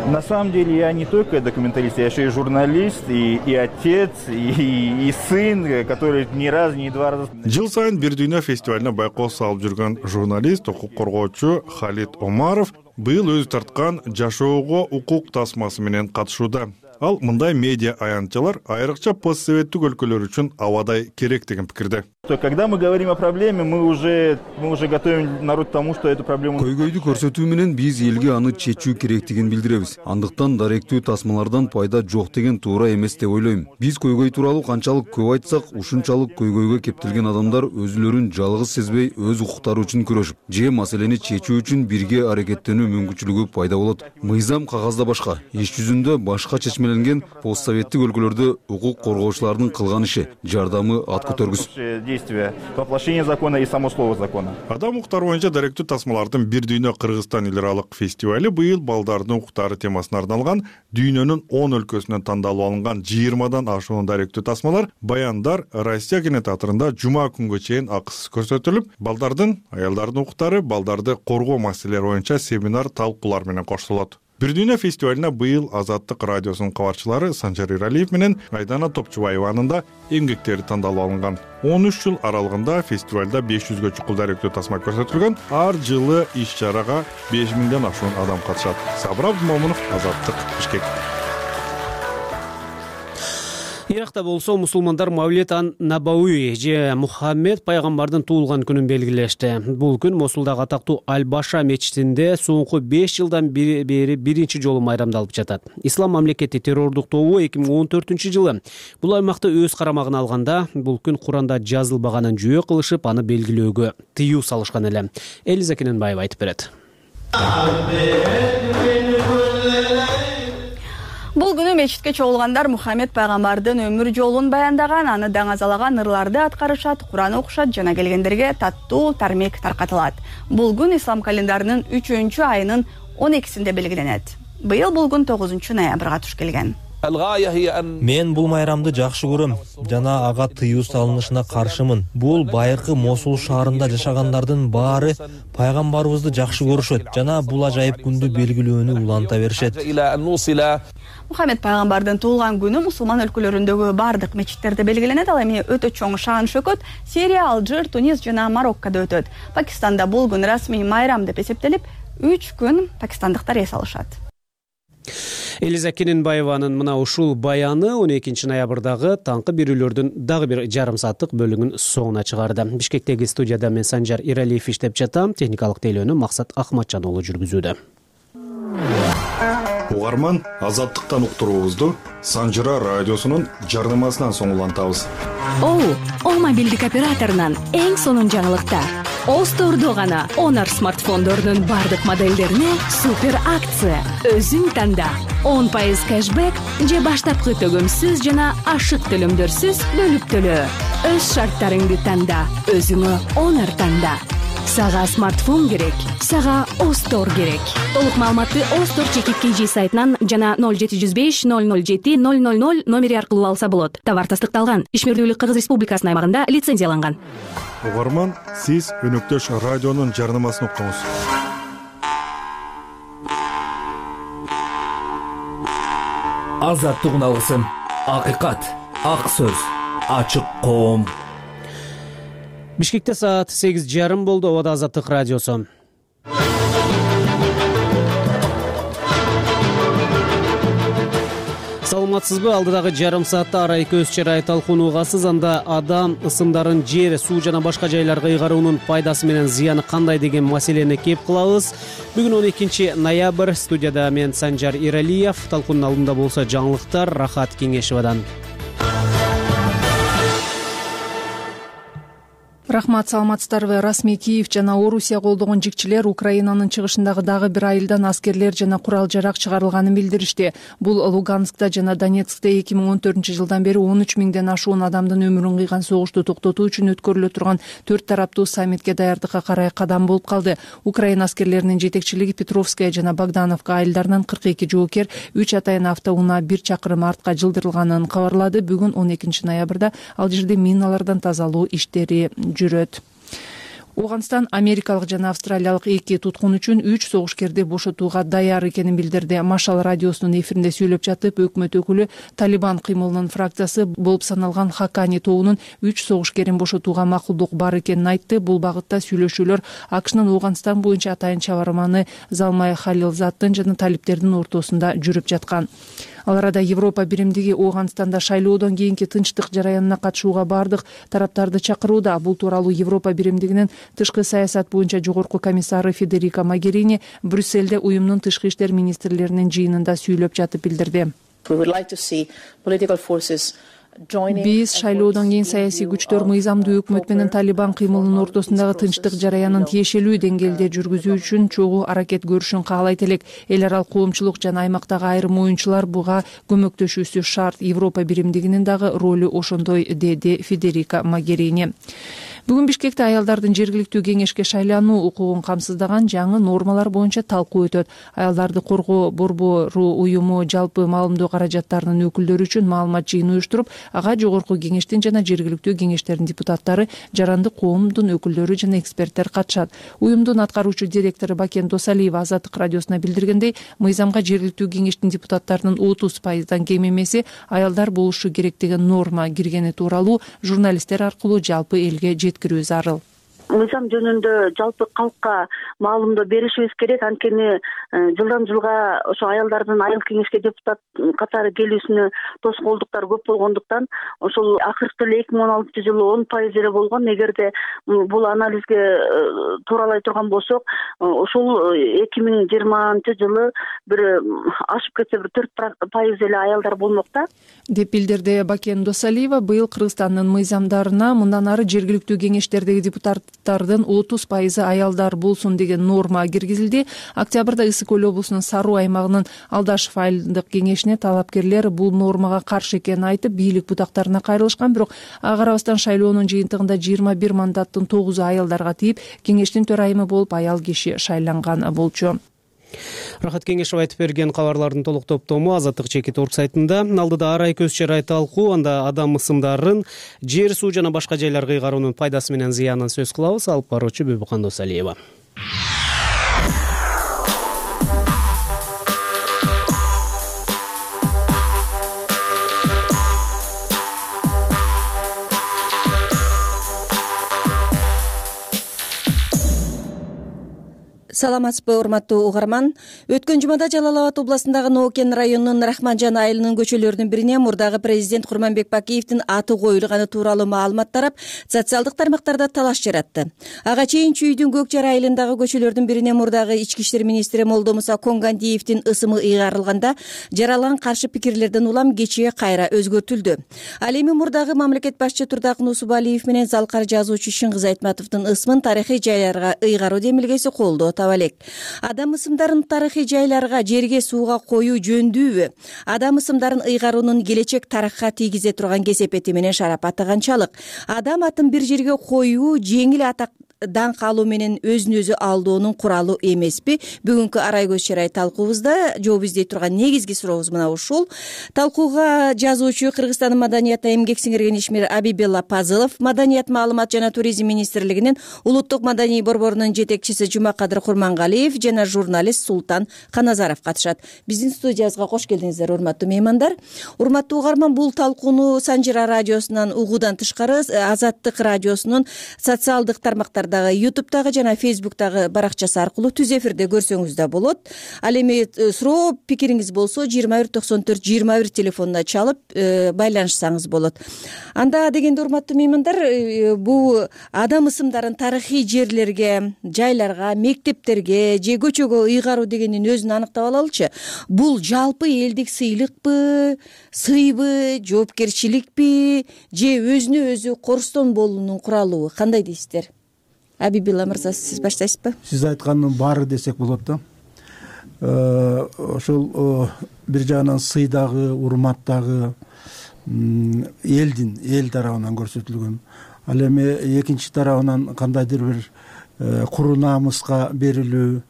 На самом деле я не только документалист, я еще и журналист, и отец, и сын, который ни разу, ни два раза. Жыл сайын Бир дүйнө фестивалына байкоо салып жүргөн журналист, укук коргоочу Халид Омаров быйыл өзү тарткан жашоого укук тасмасы менен катышууда. Ал мындай медиа аянтчалар айрыкча постсоветтик өлкөлөр үчүн абадай керек деген пикирде. Когда мы говорим о проблеме, мы уже готовим народ к тому, что эту проблему. Көйгөйдү көрсөтүү менен биз элге аны чечүү керектигин билдиребиз. Андыктан даректүү тасмалардан пайда жок деген туура эмес деп ойлойм. Биз көйгөй тууралуу канчалык көп айтсак, ушунчалык көйгөйгө кептелген адамдар өзүлөрүн жалгыз сезбей, өз укуктары үчүн күрөшүп, же маселени чечүү үчүн бирге аракеттенүү мүмкүнчүлүгү пайда болот. Мыйзам кагазда башка, иш жүзүндө башка чечмеленген постсоветтик өлкөлөрдө укук коргоочулардын кылган иши, жардамы ат көтөргүс. Воплощение закона и само слово закона. Адам укуктары боюнча даректүү тасмалардын Бир дүйнө Кыргызстан эл аралык фестивали быйыл балдардын укуктары темасына арналган дүйнөнүн 10 өлкөсүнөн тандалып алынган 20дан ашуун даректүү тасмалар, баяндар Россия кинотеатрында жума күнгө чейин акысыз көрсөтүлүп, балдардын, аялдардын укуктары, балдарды коргоо маселелери боюнча семинар, талкуулар менен коштолот. Бир дүйнө фестивалына быйыл Азаттык радиосунун кабарчылары Санжар Иралиев менен Айдана Топчубаеванын да эмгектери тандалып алынган. 13 жыл аралыгында фестивалда 500гө чукул даректүү тасма көрсөтүлгөн. Ар жылы иш-чарага 5000ден ашуун адам катышат. Сабыр Абдумомунов, Азаттык, Бишкек. Иракта болсо мусулмандар Мавлид ан-Набауи же Мухаммед пайгамбардын туулган күнүн белгилешти. Бул күн Мосулдагы атактуу Аль-Баша мечитинде соңку 5 жылдан бери биринчи жолу майрамдалып жатат. Ислам мамлекети террордук тобу 2014-жылы бул аймакты өз карамагына алганда, бул күн Куранда жазылбаганын жүйө кылышып, аны белгилөөгө тыюу салышкан эле. Элиза Кененбаева айтып берет. Бул күнү мечитке чогулгандар Мухаммед пайгамбардын өмүр жолун баяндаган, аны даңазалаган ырларды аткарышат, Куран окушат жана келгендерге таттуу тармек таркатылат. Бул күн ислам календарынын 3-чү айынын 12-синде белгиленет. Быйыл бул күн 9-ноябрга туш келген. Мен бул майрамды жакшы көрөм жана ага тыюу салынышына каршымын. Бул байыркы Мосул шаарында жашагандардын баары пайгамбарыбызды жакшы көрүшөт жана бул ажайып күндү белгилөөнү уланта беришет. Мухаммед пайгамбардын туулган күнү мусулман өлкөлөрүндөгү бардык мечиттерде белгиленет. Ал эми өтө чоң шаан шөкөт Сирия, Алжир, Тунис жана Мароккодо өтөт. Пакистанда бул күн расмий майрам деп эсептелип, 3 күн пакистандыктар эс алышат. Элиза Кененбаеванын мына ушул баяны 12-ноябрдагы таңкы берүүлөрдүн дагы бир жарым сааттык бөлүгүн соңуна чыгарды. Бишкектеги студияда мен Санжар Иралиев иштеп жатам, техникалык тейлөөнү Максат Ахматжан уулу жүргүзүүдө. угарман, азаттыктан уктуруубузду Санжыра радиосунун жарнамасынан соң улантабыз. О мобилдик операторунан эң сонун жаңылыктар. Остордо гана Honor смартфондорунун бардык моделдерине супер акция. Өзүң танда 10% кэшбэк же баштапкы төгөмсүз жана ашык төлөмдөрсүз бөлүп төлөө. Өз шарттарыңды танда, өзүңө Honor танда. Сага смартфон керек, сага Остор керек. Толук маалыматты Остор ЧКК сайтынан жана 0705 007 000 номери аркылуу алса болот. Товар тастыкталган. Ишмердүүлүк Кыргыз Республикасынын аймагында лицензияланган. Угарман, сиз өнөктөш радионун жарнамасын уктуңуз. Азаттык алгысын. Акыйкат, ак сөз, ачык коом. Бишкекте саат 8:30 болду. Обада Азаттык радиосу. Саламатсызбы? Алдыдагы жарым саатта арай көз чырай талкууну угасыз. Анда адам ысымдарын жер, суу жана башка жайларга ыйгаруунун пайдасы менен зыяны кандай деген маселени кеп кылабыз. Бүгүн 12 ноябрь. Студияда мен Санжар Иралиев. Талкуунун алдында болсо жаңылыктар Рахат Кеңешевадан. Рахмат, саламатсыздарбы? Расмий Киев жана Орусия колдогон жикчилер Украинанын чыгышындагы дагы бир айылдан аскерлер жана курал-жарак чыгарылганын билдиришти. Бул Луганскта жана Донецкте 2014-жылдан бери 13 миңден ашуун адамдын өмүрүн кыйган согушту токтотуу үчүн өткөрүлө турган 4 тараптуу саммитке даярдыкка карай кадам болуп калды. Украина аскерлеринин жетекчилиги Петровская жана Богдановка айылдарынан 42 жоокер 3 атайын автоунаа 1 чакырым артка жылдырылганын кабарлады. Бүгүн 12 ноябрда ал жерде миналардан тазалоо иштери жүрөт. Ооганстан америкалык жана австралиялык 2 туткун үчүн 3 согушкерди бошотууга даяр экенин билдирди. Машал радиосунун эфиринде сүйлөп жатып, өкмөт өкүлү Талибан кыймылынын фракциясы болуп саналган Хакани тобунун 3 согушкерин бошотууга макулдук бар экенин айтты. Бул багытта сүйлөшүүлөр АКШнын Ооганстан боюнча атайын чабарманы Залмай Халилзаттын жана талиптердин ортосунда жүрүп жаткан. Ал арада Европа биримдиги Ооганстанда шайлоодон кийинки тынчтык жараянына катышууга бардык тараптарды чакырууда. Бул тууралуу Европа биримдигинин тышкы саясат боюнча жогорку комиссары Федерика Могерини Брюссельде уюмдун тышкы иштер министрлеринин жыйынында сүйлөп жатып билдирди. Биз шайлоодон кийин саясий күчтөр мыйзамдуу өкмөт менен Талибан кыймылынын ортосундагы тынчтык жараянын тиешелүү деңгээлде жүргүзүү үчүн чогуу аракет көрүшүн каалайт элек. Эл аралык коомчулук жана аймактагы айрым оюнчулар буга көмөктөшүүсү шарт. Европа биримдигинин дагы ролу ошондой, деди Федерика Могерини. Бүгүн Бишкекте аялдардын жергиликтүү кеңешке шайлануу укугун камсыздаган жаңы нормалар боюнча талкуу өтөт. Аялдарды коргоо борбору уюму жалпы маалымдоо каражаттарынын өкүлдөрү үчүн маалымат жыйыны уюштуруп, ага жогорку кеңештин жана жергиликтүү кеңештердин депутаттары, жарандык коомдун өкүлдөрү жана эксперттер катышат. Уюмдун аткаруучу директору Бакен Досалиева Азаттык радиосуна билдиргендей, мыйзамга жергиликтүү кеңештин депутаттарынын 30%дан кем эмеси аялдар болушу керек деген норма киргени тууралуу журналисттер аркылуу жалпы элге жеткирүү зарыл. Мыйзам жөнүндө жалпы калкка маалымдоо беришибиз керек. Анткени жылдан жылга ошо аялдардын айыл кеңешке депутат катары келүүсүнө тоскоолдуктар көп болгондуктан ошол акыркы эле 2016-жылы 10% эле болгон. Эгерде бул анализге тууралай турган болсок, ошол 2020-жылы бир ашып кетсе бир 4% эле аялдар болмок да, деп билдирди Бакен Досалиева. Быйыл Кыргызстандын мыйзамдарына мындан ары жергиликтүү кеңештердеги депутаттардын 30% аялдар болсун деген норма киргизилди. Октябрда Ысык Көл облусунун Саруу аймагынын Алдашев айылдык кеңешине талапкерлер бул нормага каршы экенин айтып, бийлик бутактарына кайрылышкан. Бирок ага карабастан шайлоонун жыйынтыгында 21 мандаттын 9-у аялдарга тийип, кеңештин төрайымы болуп аял киши шайланган болчу. Рахат Кеңешев айтып берген кабарлардын толук топтому Азаттык ЧК сайтында. Алдыда арай көз чырай талкуу, анда адам ысымдарын жер, суу жана башка жайларга ыйгаруунун пайдасы менен зыянын сөз кылабыз. Алып баруучу Бүбүкан Досалиева. саламатсызбы урматтуу угарман. Өткөн жумада Жалал Абад областындагы Ноокен районунун Рахманжан айылынын көчөлөрүнүн бирине мурдагы президент Курманбек Бакиевдин аты коюлганы тууралуу маалымат тарап, социалдык тармактарда талаш жаратты. Ага чейин Чүйдүн Көк Жар айылындагы көчөлөрдүн бирине мурдагы ички иштер министри Молдомуса Конгандиевдин ысымы ыйгарылганда, жаралган каршы пикирлерден улам кечээ кайра өзгөртүлдү. Ал эми мурдагы мамлекет башчы Турдакын Усубалиев менен залкар жазуучу Шыңгыз Айтматовдун ысымын тарыхый жайларга ыйгаруу демилгеси колдоо таба элек. Адам ысымдарын тарыхый жайларга, жерге, сууга коюу жөндүүбү? Адам ысымдарын ыйгаруунун келечек тарыхка тийгизе турган кесепети менен шарапаты канчалык? Адам атын бир жерге коюу жеңил атак даңк алуу менен өзүн өзү алдоонун куралы эмеспи? Бүгүнкү арай көз чарай талкуубузда жооп издей турган негизги сурообуз мына ушул. Талкууга жазуучу, Кыргызстандын маданиятта эмгек сиңирген ишмер Абибелла Пазылов, Маданият, маалымат жана туризм министрлигинин улуттук маданий борборунун жетекчиси Жумакадыр Курмангалиев жана журналист Султан Каназаров катышат. Биздин студиябызга кош келдиңиздер, урматтуу меймандар. Урматтуу угарман, бул талкууну Санжира радиосунан угуудан тышкары Азаттык радиосунун социалдык тармактар ютубтагы жана фейсбуктагы баракчасы аркылуу түз эфирде көрсөңүз да болот. Ал эми суроо пикириңиз болсо 2194-21 телефонуна чалып байланышсаңыз болот. Анда дегенде урматтуу меймандар, бул адам ысымдарын тарыхый жерлерге, жайларга, мектептерге же көчөгө ыйгаруу дегендин өзүн аныктап алалычы. Бул жалпы элдик сыйлыкпы, сыйбы, жоопкерчиликпи же өзүнө өзү корустон болуунун куралыбы? Кандай дейсиздер? Абибилла мырза, сиз баштайсызбы? Сиз айткандын баары десек болот да. Ошол бир жагынан сыйдагы, урматтагы эл тарабынан көрсөтүлгөн. Ал эми экинчи тарабынан кандайдыр бир куру намыска берилүү,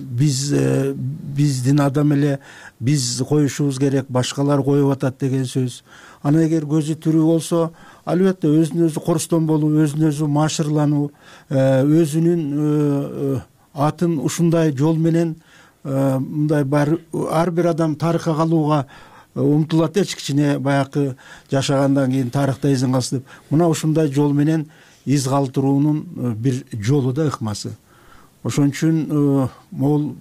биздин адам эле биз коюшубуз керек, башкалар коюп атат деген сөз. Ана эгер көзү тирүү болсо, албетте өзүн өзү корустон болуу, өзүн өзү маашырлануу, өзүнүн атын ушундай жол менен мындай ар бир адам тарыхка калууга умтулат эч кичине баягы жашагандан кийин тарыхта изин калсын деп. Мына ушундай жол менен из калтыруунун бир жолу да ыкмасы. Ошон үчүн могул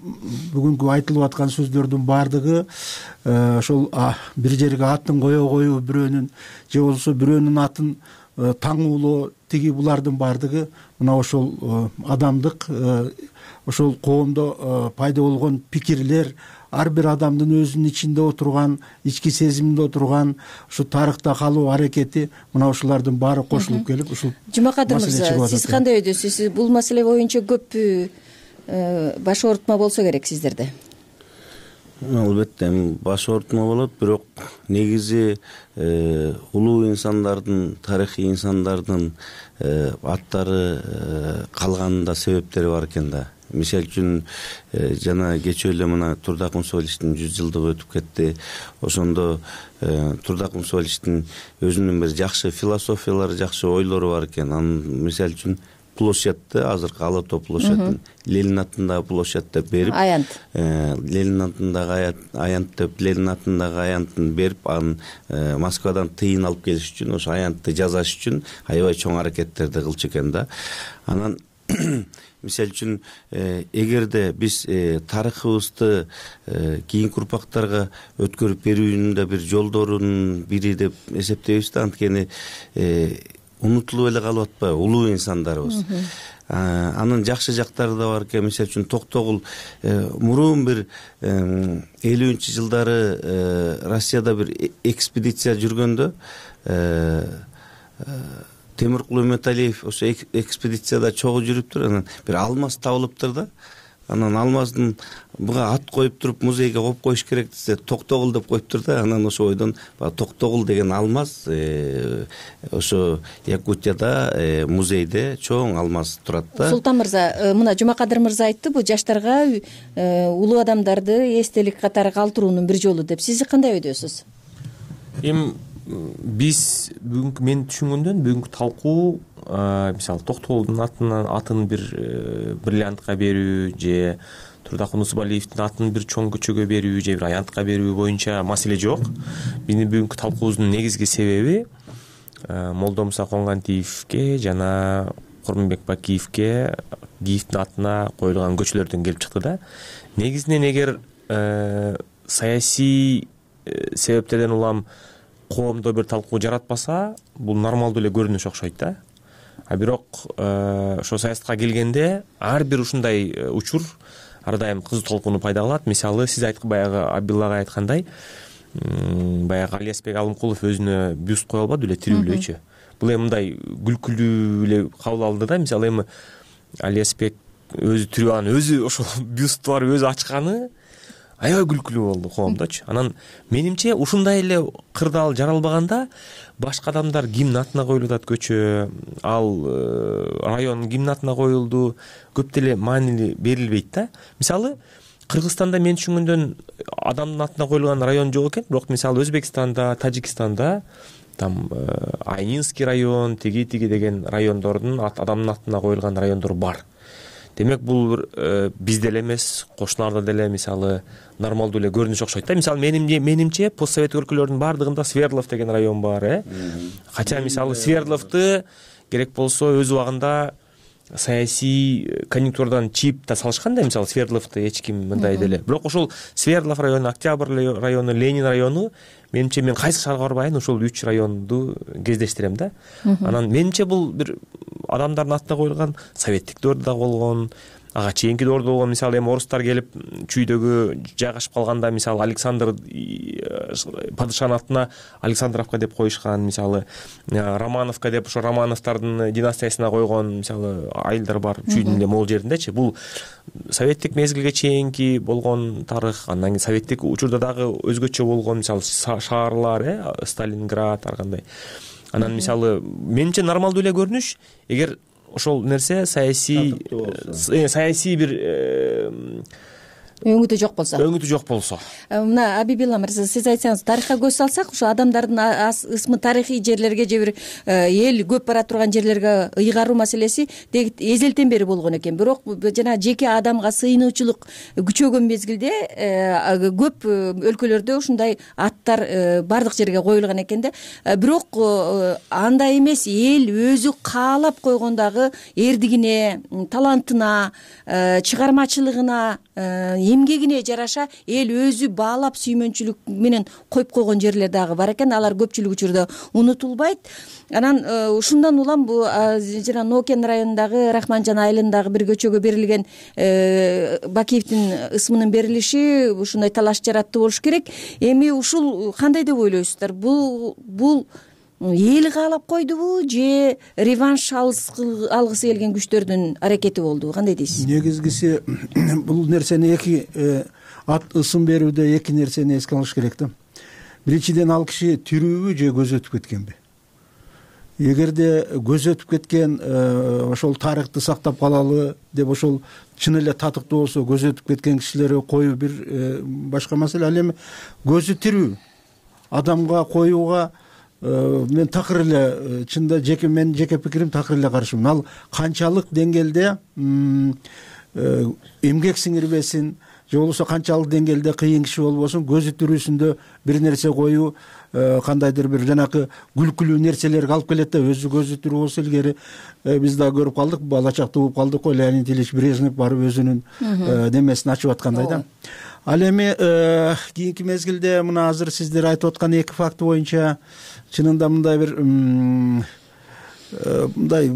бүгүнкү айтылып аткан сөздөрдүн баардыгы ошол бир жерге атын коюу бирөөнүн же болбосо бирөөнүн атын таңуулоо, тиги булардын баардыгы мына ошол адамдык, ошол коомдо пайда болгон пикирлер, ар бир адамдын өзүнүн ичинде отурган, ички сезиминде отурган ушу тарыхта калуу аракети, мына ушулардын баары кошулуп келип ушул. Жумакадыр мырза, сиз кандай ойдосуз? Бул маселе боюнча көп баш оорутма болсо керек сиздерде? Албетте баш оорутма болот, бирок негизи улуу инсандардын, тарыхый инсандардын аттары калганында себептери бар экен да. Мисалы үчүн жана кечээ эле мына Турдакын Усубалиевдин 100 жылдыгы өтүп кетти. Ошондо Турдакын Усубалиевдин өзүнүн бир жакшы философиялары, жакшы ойлору бар экен. Анын мисалы үчүн площадьты, азыркы Ала Тоо площадын Ленин атындагы площадь деп берип, Аянт. Ленин атындагы Аянт деп, Ленин атындагы Аянтын берип, анын Москвадан тыйын алып келиш үчүн, ошо Аянтты жасаш үчүн аябай чоң аракеттерди кылчу экен да. Анан мисалы үчүн эгерде биз тарыхыбызды кийинки урпактарга өткөрүп берүүнүн да бир жолдорунун бири деп эсептейбиз да, анткени унутулуп эле калып атпайбы улуу инсандарыбыз. Анын жакшы жактары да бар экен. Мисалы үчүн Токтогул мурун бир 50-нчы жылдары Россияда бир экспедиция жүргөндө Темиркул Үмөталиев ошо экспедицияда чогуу жүрүптүр, анан бир алмаз табылыптыр да. Анан алмаздын буга ат коюп туруп музейге коюп коюш керек десе, Токтогул деп коюптур да. Анан ошо ойдон Токтогул деген алмаз ошо Якутияда музейде чоң алмаз турат да. Султан мырза, мына Жумакадыр мырза айтты, бул жаштарга улуу адамдарды эстелик катары калтыруунун бир жолу деп. Сиз кандай ойдосуз? Биз бүгүнкү мен түшүнгөндөн бүгүнкү талкуу мисалы Токтогулдун атын бир бриллиантка берүү же Турдакын Усубалиевдин атын бир чоң көчөгө берүү же бир аянтка берүү боюнча маселе жок. Биздин бүгүнкү талкуубуздун негизги себеби Молдомуса Конгандиевге жана Курманбек Бакиевге Киевдин атына коюлган көчөлөрдөн келип чыкты да. Негизинен эгер саясий себептерден улам коомдо бир талкуу жаратпаса, бул нормалдуу эле көрүнүш окшойт да. А бирок ошо саясатка келгенде ар бир ушундай учур ар дайым кызуу талкууну пайда кылат. Мисалы, сиз баягы Абилла агай айткандай, баягы Алиасбек Алымкулов өзүнө бюст кое албады эле тирүү элечү. Бул эми мындай күлкүлүү эле кабыл алды да. Мисалы, эми Алиасбек өзү тирүү, анан өзү ошол бюсту барып өзү ачканы аябай күлкүлүү болду коомдочу. Анан менимче ушундай эле кырдаал жаралбаганда башка адамдар кимдин атына коюлуп атат көчө, ал район кимдин атына коюлду, көп деле маанилүү берилбейт да. Мисалы, Кыргызстанда мен түшүнгөндөн адамдын атына коюлган район жок экен, бирок мисалы Өзбекстанда, Тажикстанда там Айнинский район, тиги деген райондордун адамдын атына коюлган райондор бар. Демек бул бизде эле эмес, кошуналарда деле мисалы нормалдуу эле көрүнүш окшойт да. Мисалы менимче постсоветтик өлкөлөрдүн баардыгында Свердлов деген район бар, Кача мисалы Свердловду керек болсо өз убагында саясий конъюнктурадан чийип да салышкан да, мисалы Свердловду эч ким мындай деле. Бирок ошол Свердлов району, Октябрь району, Ленин району, менимче мен кайсы шаарга барбайын ошол 3 районду кездештирем да. Анан менимче бул бир адамдардын атына коюлган советтик дöwөрдө да болгон, ага чейинки дöwөрдө болгон. Мисалы эми орустар келип чүйдөгү жайгашып калганда, мисалы Александр падышанын атына Александровка деп коюшкан, мисалы Романовка деп ошо Романовдордун династиясына койгон мисалы айылдар бар чүйдүн эле могул жериндечи. Бул советтик мезгилге чейинки болгон тарых. Андан кийин советтик учурда дагы өзгөчө болгон мисалы шаарлар, Сталинград ар кандай. Анан мисалы менимче нормалдуу эле көрүнүш, эгер ошол нерсе саясий бир өңүтү жок болсо. Мына Абибилла мырза, сиз айтсаңыз, тарыхка көз салсак, ошо адамдардын ысмы тарыхый жерлерге же бир эл көп бара турган жерлерге ыйгаруу маселеси эзелтен бери болгон экен. Бирок жана жеке адамга сыйынуучулук күчөгөн мезгилде көп өлкөлөрдө ушундай аттар бардык жерге коюлган экен да. Бирок андай эмес, эл өзү каалап койгондагы эрдигине, талантына, чыгармачылыгына, эмгегине жараша эл өзү баалап сүймөнчүлүк менен коюп койгон жерлер дагы бар экен. Алар көпчүлүк учурда унутулбайт. Анан ушундан улам бул жана Нокен районундагы Рахманжан айылындагы бир көчөгө берилген Бакиевдин ысмынын берилиши ушундай талаш жаратты болуш керек. Эми ушул кандай деп ойлойсуздар? Бул эл каалап койдубу же реванш алгысы келген күчтөрдүн аракети болдубу? Кандай дейсиз? Негизгиси бул нерсени ысым берүүдө эки нерсени эске алыш керек да. Биринчиден, ал киши тирүүбү же көз өтүп кеткенби? Эгерде көз өтүп кеткен, ошол тарыхты сактап калалы деп ошол чын эле татыктуу болсо, көз өтүп кеткен кишилерге коюу бир башка маселе. Ал эми көзү тирүү адамга коюуга мен такыр эле, чында менин жеке пикирим, такыр эле каршымын. Ал канчалык деңгээлде эмгек сиңирбесин, же болбосо канчалык деңгээлде кыйын киши болбосун, көзү тирүүсүндө бир нерсе коюу кандайдыр бир жанакы күлкүлүү нерселерге алып келет да. Өзү көзү тирүү болсо, илгери биз да көрүп калдык, бала чакта угуп калдык го, Леонид Ильич Брежнев барып өзүнүн немесин ачып аткандай да. Ал эми кийинки мезгилде мына азыр сиздер айтып аткан эки факт боюнча чынында мындай бир мындай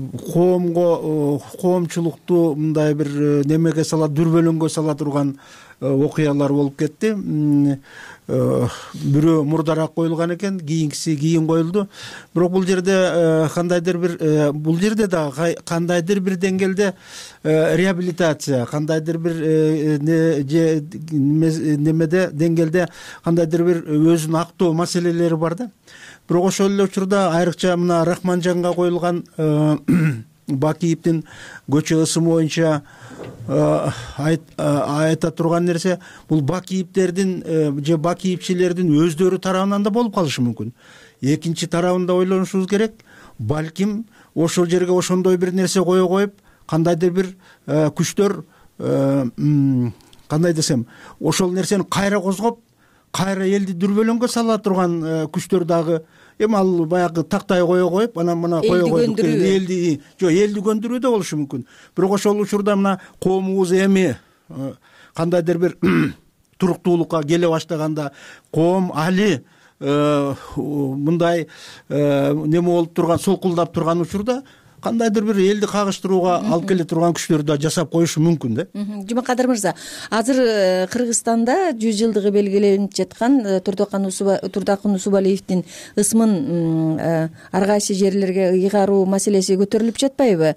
коомчулукту мындай бир немеге сала, дүрбөлөңгө сала турган окуялар болуп кетти. Бирөө мурдараак коюлган экен, кийинкиси кийин коюлду. Бирок бул жерде бул жерде да кандайдыр бир деңгээлде реабилитация, кандайдыр бир немеде деңгээлде кандайдыр бир өзүн актоо маселелери бар да. Бирок ошол эле учурда айрыкча мына Рахманжанга коюлган Бакиевдин көчө ысымы боюнча айта турган нерсе, бул Бакиевдердин же Бакиевчилердин өздөрү тарабынан да болуп калышы мүмкүн. Экинчи тарабын да ойлонушубуз керек. Балким ошол жерге ошондой бир нерсе кое коюп, кандайдыр бир күчтөр, кандай десем, ошол нерсени кайра козгоп, кайра элди дүрбөлөңгө сала турган күчтөр дагы эми ал баягы тактай кое коюп анан мына кое койдук элди көндүрүү да болушу мүмкүн. Бирок ошол учурда мына коомубуз эми кандайдыр бир туруктуулукка келе баштаганда, коом али мындай неме болуп турган, солкулдап турган учурда кандайдыр бир элди кагыштырууга алып келе турган күчтөр да жасап коюшу мүмкүн да. Жумакадыр мырза, азыр Кыргызстанда 100 жылдыгы белгиленип жаткан Турдакын Усубалиевдин ысмын ар кайсы жерлерге ыйгаруу маселеси көтөрүлүп жатпайбы?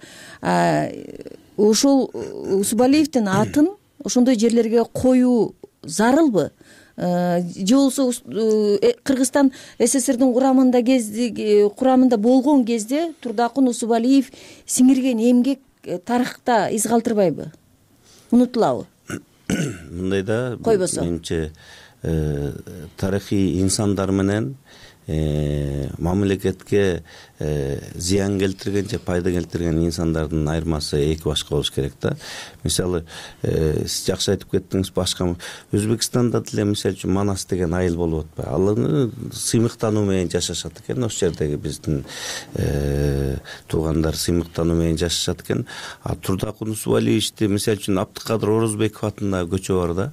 Ушул Усубалиевдин атын ошондой жерлерге коюу зарылбы? Же болбосо Кыргызстан СССРдин курамында болгон кезде Турдакын Усубалиев сиңирген эмгек тарыхта из калтырбайбы? Унутулабы? Мындай да, койбосо менимче тарыхый инсандар менен мамлекетке зыян келтирген же пайда келтирген инсандардын айырмасы эки башка болуш керек да. Мисалы, сиз жакшы айтып кеттиңиз, башка Өзбекстанда деле мисалы үчүн Манас деген айыл болуп атпайбы? Алар сыймыктануу менен жашашат экен, ошол жердеги биздин туугандар сыймыктануу менен жашашат экен. Турдакын Усубалиевди мисалы үчүн Абдыкадыр Орозбеков атындагы көчө бар да.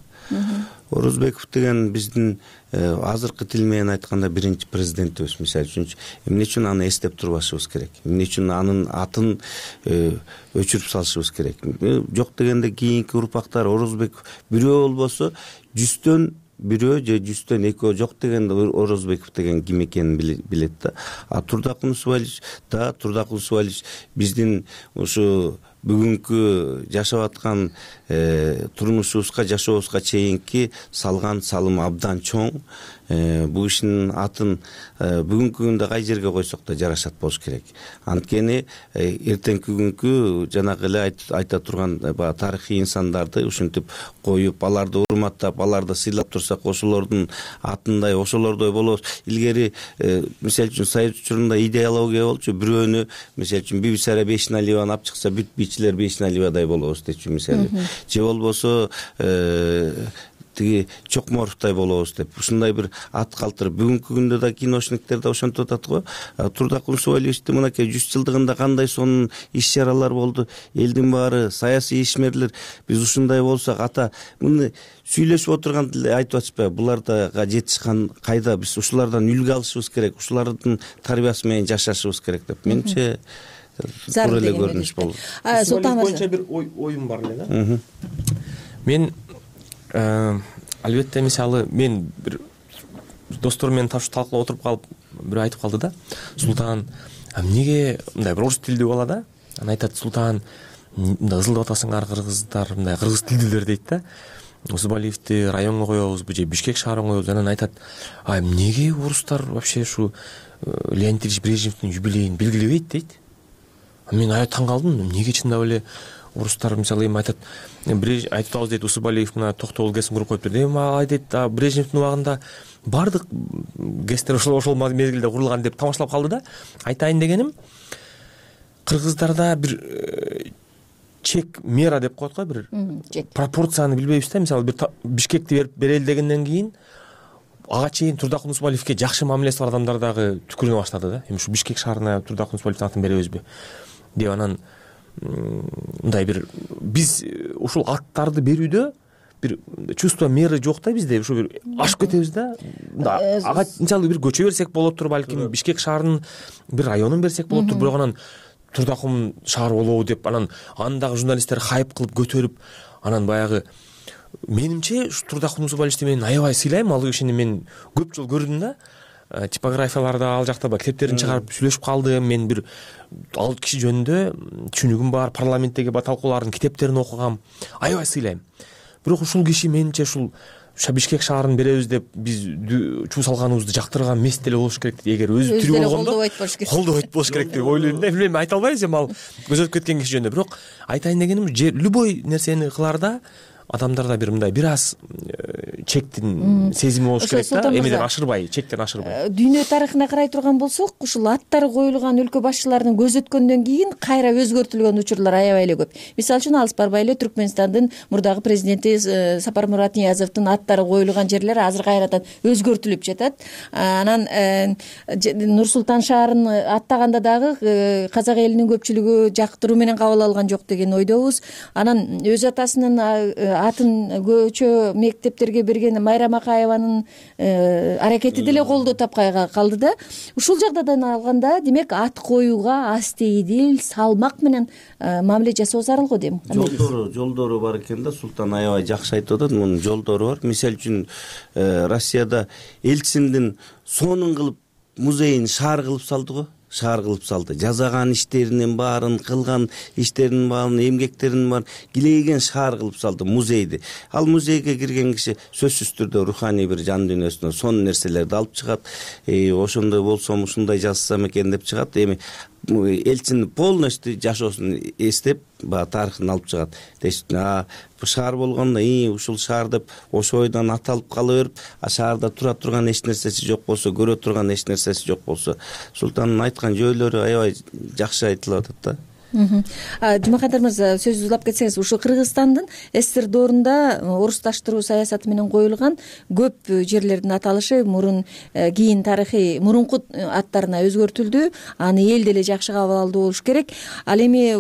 Орозбеков деген биздин азыркы тил менен айтканда биринчи президентибиз. Мисалы үчүн эмне үчүн аны эстеп турбашыбыз керек? Эмне үчүн анын атын өчүрүп салышыбыз керек? Жок дегенде кийинки урпактар Орозбеков бирөө болбосо 100төн бирөө же 100төн экөө жок дегенде Орозбеков деген ким экенин билет да. Турдакын Усубалиев биздин ушу бүгүнкү жашап аткан турмушубузга, жашообузга чейинки салган салым абдан чоң. Бул ишинин атын бүгүнкү күндө кай жерге койсок да жарашат болуш керек. Анткени эртеңки күнгү жанагы эле айта турган тарыхый инсандарды ушинтип коюп, аларды урматтап, аларды сыйлап турсак, ошолордун атындай, ошолордой болобуз. Илгери мисалы үчүн Союз учурунда идеология болчу, бирөөнү мисалы үчүн Бибисара Бейшеналиеваны алып чыкса, бүт бийчилер Бейшеналиевадай болобуз дечү мисалы. Же болбосо тиги Чокморовтой болобуз деп ушундай бир ат калтырып, бүгүнкү күндө да киношниктер да ошентип атат го. Турдакын Усубалиевди мынакей 100 жылдыгында кандай сонун иш-чаралар болду, элдин баары саясий ишмерлер. Биз ушундай болсак, ата муну сүйлөшүп отурган деле айтып атышпайбы? Буларга жетишкан кайда? Биз ушулардан үлгү алышыбыз керек, ушулардын тарбиясы менен жашашыбыз керек деп менимче туура эле көрүнүш болду. Султан боюнча бир оюм бар эле да. Мен албетте мисалы мен бир достор менен талкуулап отуруп калып бирөө айтып калды да, Султан, эмнеге мындай бир орус тилдүү бала да, анан айтат, Султан, мындай ызылдап атасыңар кыргыздар, мындай кыргыз тилдүүлөр дейт да. Усубалиевди районго коебузбу же Бишкек шаарына коебуз? Анан айтат, эмнеге орустар вообще ушу Леонид Ильич Брежневдин юбилейин белгилебейт дейт. Мен таң калдым, эмнеге чындап эле орустар мисалы эми айтат, айтып атабыз дейт, Усубалиев мына токтогул кесим куруп коюптур. Эми ал дейт, Брежневдин убагында бардык кесиптер ошол мезгилде курулган деп тамашалап калды да. Айтайын дегеним, кыргыздарда бир чек мера деп коет го, бир пропорцияны билбейбиз да. Мисалы бир Бишкекти берели дегенден кийин ага чейин Турдакын Усубалиевге жакшы мамилеси бар адамдар дагы түкүрүнө баштады да. Эми ушу Бишкек шаарына Турдакын Усубалиевдин атын беребизби деп, анан мындай бир биз ушул аттарды берүүдө бир чувство меры жок да бизде, ушу бир ашып кетебиз да. Ага мисалы бир көчө берсек болоттур, балким Бишкек шаарынын бир районун берсек болоттур, бирок анан Турдакын шаар болобу деп анан андагы журналисттер хайп кылып көтөрүп, анан баягы менимче Турдакын Усубалиевди мен аябай сыйлайм. Ал кишини мен көп жолу көрдүм да. Типографияларда ал жакта китептерин чыгарып сүйлөшүп калдым. Мен бир ал киши жөнүндө түшүнүгүм бар, парламенттеги талкуулардын китептерин окугам. Аябай сыйлайм. Бирок ушул киши менимче ушул Бишкек шаарын беребиз деп биз чуу салганыбызды жактырган эмес деле болуш керек. Эгер өзү тирүү болгондо колдобойт болуш керек деп ойлойм да. Билбейм, айта албайбыз эми ал көзөтүп кеткен киши жөнүндө. Бирок айтайын дегеним, любой нерсени кылаарда адамдарда бир мындай бир аз чектин сезими болуш керек да, эмеден ашырбай, чектен ашырбай. Дүйнө тарыхына карай турган болсок, ушул аттары коюлган өлкө башчыларынын көз өткөндөн кийин кайра өзгөртүлгөн учурлар аябай эле көп. Мисалы үчүн алыс барбай эле Түркмөнстандын мурдагы президенти Сапармурат Ниязовдун аттары коюлган жерлер азыр кайрадан өзгөртүлүп жатат. Анан Нур-Султан шаарын аттаганда дагы казак элинин көпчүлүгү жактыруу менен кабыл алган жок деген ойдобуз. Анан өз атасынын атын көчө мектептерге берген Майра Макаеванын аракети деле колдоо тапкай калды да. Ушул жагдайдан алганда, демек ат коюуга астейдил, салмак менен мамиле жасоо зарыл го дейм. Жолдору бар экен да, Султан аябай жакшы айтып атат. Мунун жолдору бар. Мисалы үчүн Россияда Элчиндин сонун кылып музейин шаар кылып салды го. Шаар кылып салды. Жазаган иштеринин баарын, кылган иштеринин баарын, эмгектеринин баарын килейген шаар кылып салды музейди. Ал музейге кирген киши сөзсүз түрдө руханий бир жан дүйнөсүнө сонун нерселерди алып чыгат. Ошондой болсом, ушундай жазсам экен деп чыгат. Эми Элчин полностью жашоосун эстеп, тарыхын алып чыгат. Бул шаар болгондо ушул шаар деп ошо ойдон аталып кала берип, шаарда тура турган эч нерсеси жок болсо, көрө турган эч нерсеси жок болсо, Султандын айткан жөөлөрү аябай жакшы айтылып атат да. Жумакадыр мырза, сөзү улап кетсеңиз, ушу Кыргызстандын СССР доорунда орусташтыруу саясаты менен коюлган көп жерлердин аталышы мурун кийин тарыхый мурунку аттарына өзгөртүлдү. Аны эл деле жакшы кабыл алды болуш керек. Ал эми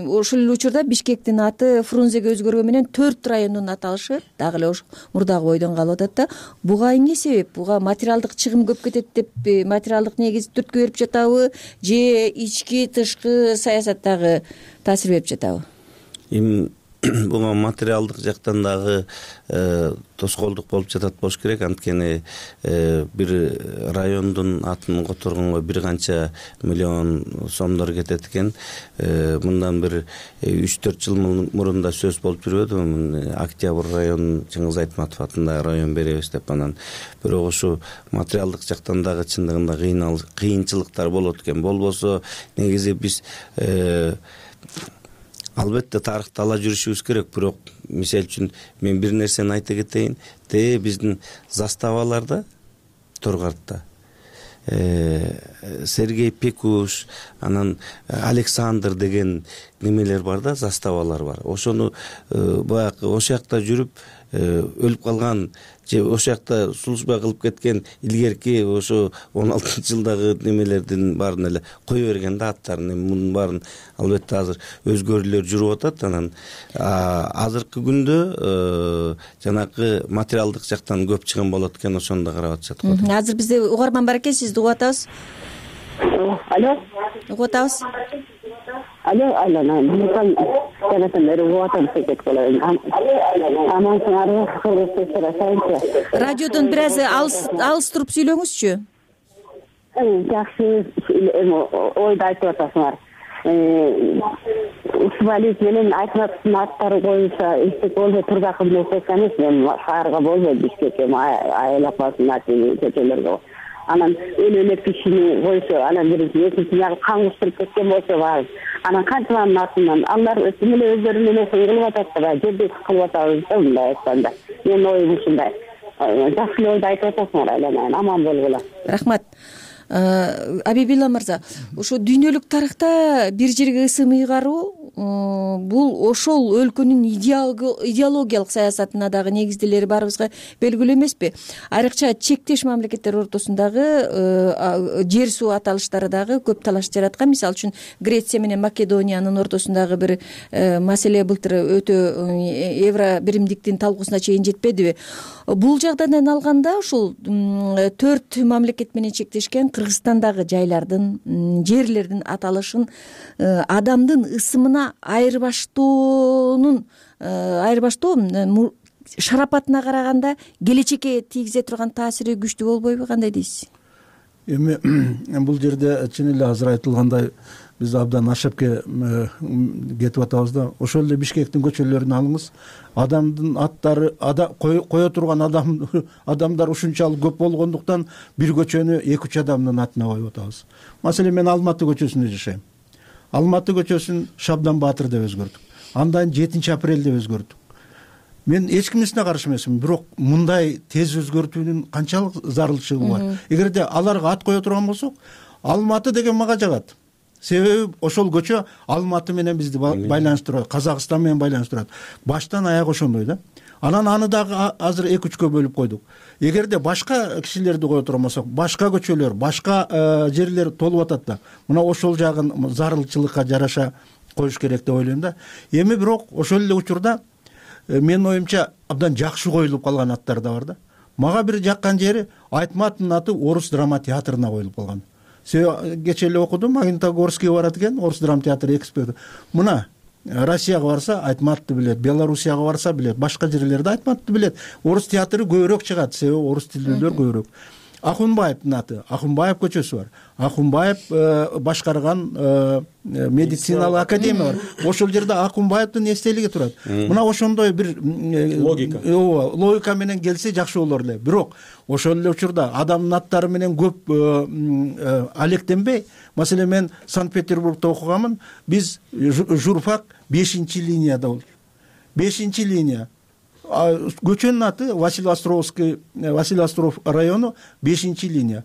ошол эле учурда Бишкектин аты Фрунзеге өзгөргөн менен 4 райондун аталышы дагы эле ошо мурдагы ойдон калып атат да. Буга эмне себеп? Буга материалдык чыгым көп кетет деп материалдык негиз түрткү берип жатабы же ички тышкы саясаттагы таасир берип жатабы? Эми буга материалдык жактан дагы тоскоолдук болуп жатат болуш керек. Анткени бир райондун атын которгонго бир канча миллион сомдор кетет экен. Мындан бир 3-4 жыл мурун да сөз болуп жүрбөдүбү? Октябрь районун Чыңгыз Айтматов атындагы район беребиз деп. Анан бирок ушу материалдык жактан дагы чындыгында кыйынчылыктар болот экен. Болбосо негизи биз албетте тарыхты ала жүрүшүбүз керек. Бирок мисалы үчүн мен бир нерсени айта кетейин. Биздин заставаларда Торгартта Сергей Пекуш, анан Александр деген немелер бар да, заставалар бар. Ошону баягы ошол жакта жүрүп өлүп калган же ошол жакта служба кылып кеткен илгерки ошо 16-жылдагы немелердин баарын эле кое берген да, аттарын. Мунун баарын албетте азыр өзгөрүүлөр жүрүп атат. Анан азыркы күндө жанагы материалдык жактан көп чыгым болот экен, ошону да карап атышат го. Азыр бизде угарман бар экен, сизди угуп атабыз. Алло. Угуп атабыз. Алло, радиодон бир аз алыс туруп сүйлөңүзчү. Жакшы ойду айтып атасыңар. Усмалиев менен Айтматовдун аттары боюнча эстек болбой турдакы нерсе эмес. Мен шаарга болбойм, Бишкекке, айыл апасынын аты көчөлөргө. Анан өлө кишини койсо, анан бир экинчи жагы кан куштуруп кеткен болсо бар. Анан канчаланын артынан алар эле өздөрү менен кылып атат да, жерди кылып атабыз да, мындай айтканда. Менин оюм ушундай. Жакшы ойду айтып атасыңар, айланайын, аман болгула. Рахмат. Абибилла мырза, ушу дүйнөлүк тарыхта бир жерге ысым ыйгаруу бул ошол өлкөнүн идеологиялык саясатына дагы негизделери баарыбызга белгилүү эмеспи? Айрыкча чектеш мамлекеттер ортосундагы жер суу аталыштары дагы көп талаш жараткан. Мисалы үчүн Греция менен Македониянын ортосундагы бир маселе былтыр өтө евро биримдиктин талкуусуна чейин жетпедиби? Бул жагдайдан алганда ушул 4 мамлекет менен чектешкен Кыргызстандагы жайлардын, жерлердин аталышын адамдын ысымына айырбаштоо шарапатына караганда келечекке тийгизе турган таасири күчтүү болбойбу? Кандай дейсиз? Эми бул жерде чын эле азыр айтылгандай биз абдан ашапке кетип атабыз да. Ошол эле Бишкектин көчөлөрүн алыңыз. Адамдын аттары кое турган адамдар ушунчалык көп болгондуктан бир көчөнү 2-3 адамдын атына коюп атабыз. Маселен мен Алматы көчөсүндө жашайм. Алматы көчөсүн Шабдан Баатыр деп өзгөрттүк. Андан 7 апрель деп өзгөрттүк. мен эч кимисине каршы эмесмин, бирок мындай тез өзгөртүүнүн канчалык зарылчылыгы бар. Эгерде аларга ат кое турган болсок, Алматы деген мага жагат. Себеби ошол көчө Алматы менен бизди байланыштырат, Казакстан менен байланыштырат. Баштан аяк ошондой да. Анан аны дагы азыр 2-3кө бөлүп койдук. Эгерде башка кишилерди кое турган болсок, башка көчөлөр, башка жерлер толуп атат да. Мына ошол жагын зарылчылыкка жараша коюш керек деп ойлойм да. Эми бирок ошол эле учурда менин оюмча абдан жакшы коюлуп калган аттар да бар да. Мага бир жаккан жери Айтматовдун аты Орус драма театрына коюлуп калган. Себеби кечээ эле окудум, Магнитогорскийге барат экен, Орус драма театры эксперт. Мына Россияга барса Айтматовду билет, Белоруссияга барса билет, башка жерлерде Айтматовду билет. Орус театры көбүрөөк чыгат, себеби орус тилдүүлөр көбүрөөк. Ахунбаевдин аты, Ахунбаев көчөсү бар. Ахунбаев башкарган медициналык академия бар. Ошол жерде Ахунбаевдин эстелиги турат. Мына ошондой бир логика менен келсе жакшы болор эле. Бирок ошол эле учурда адамдын аттары менен көп алектенбей, маселен мен Санкт-Петербургда окуганмын. Биз журфак 5-линияда болчу. 5-линия. Көчөнүн аты Василий Остров району 5-линия.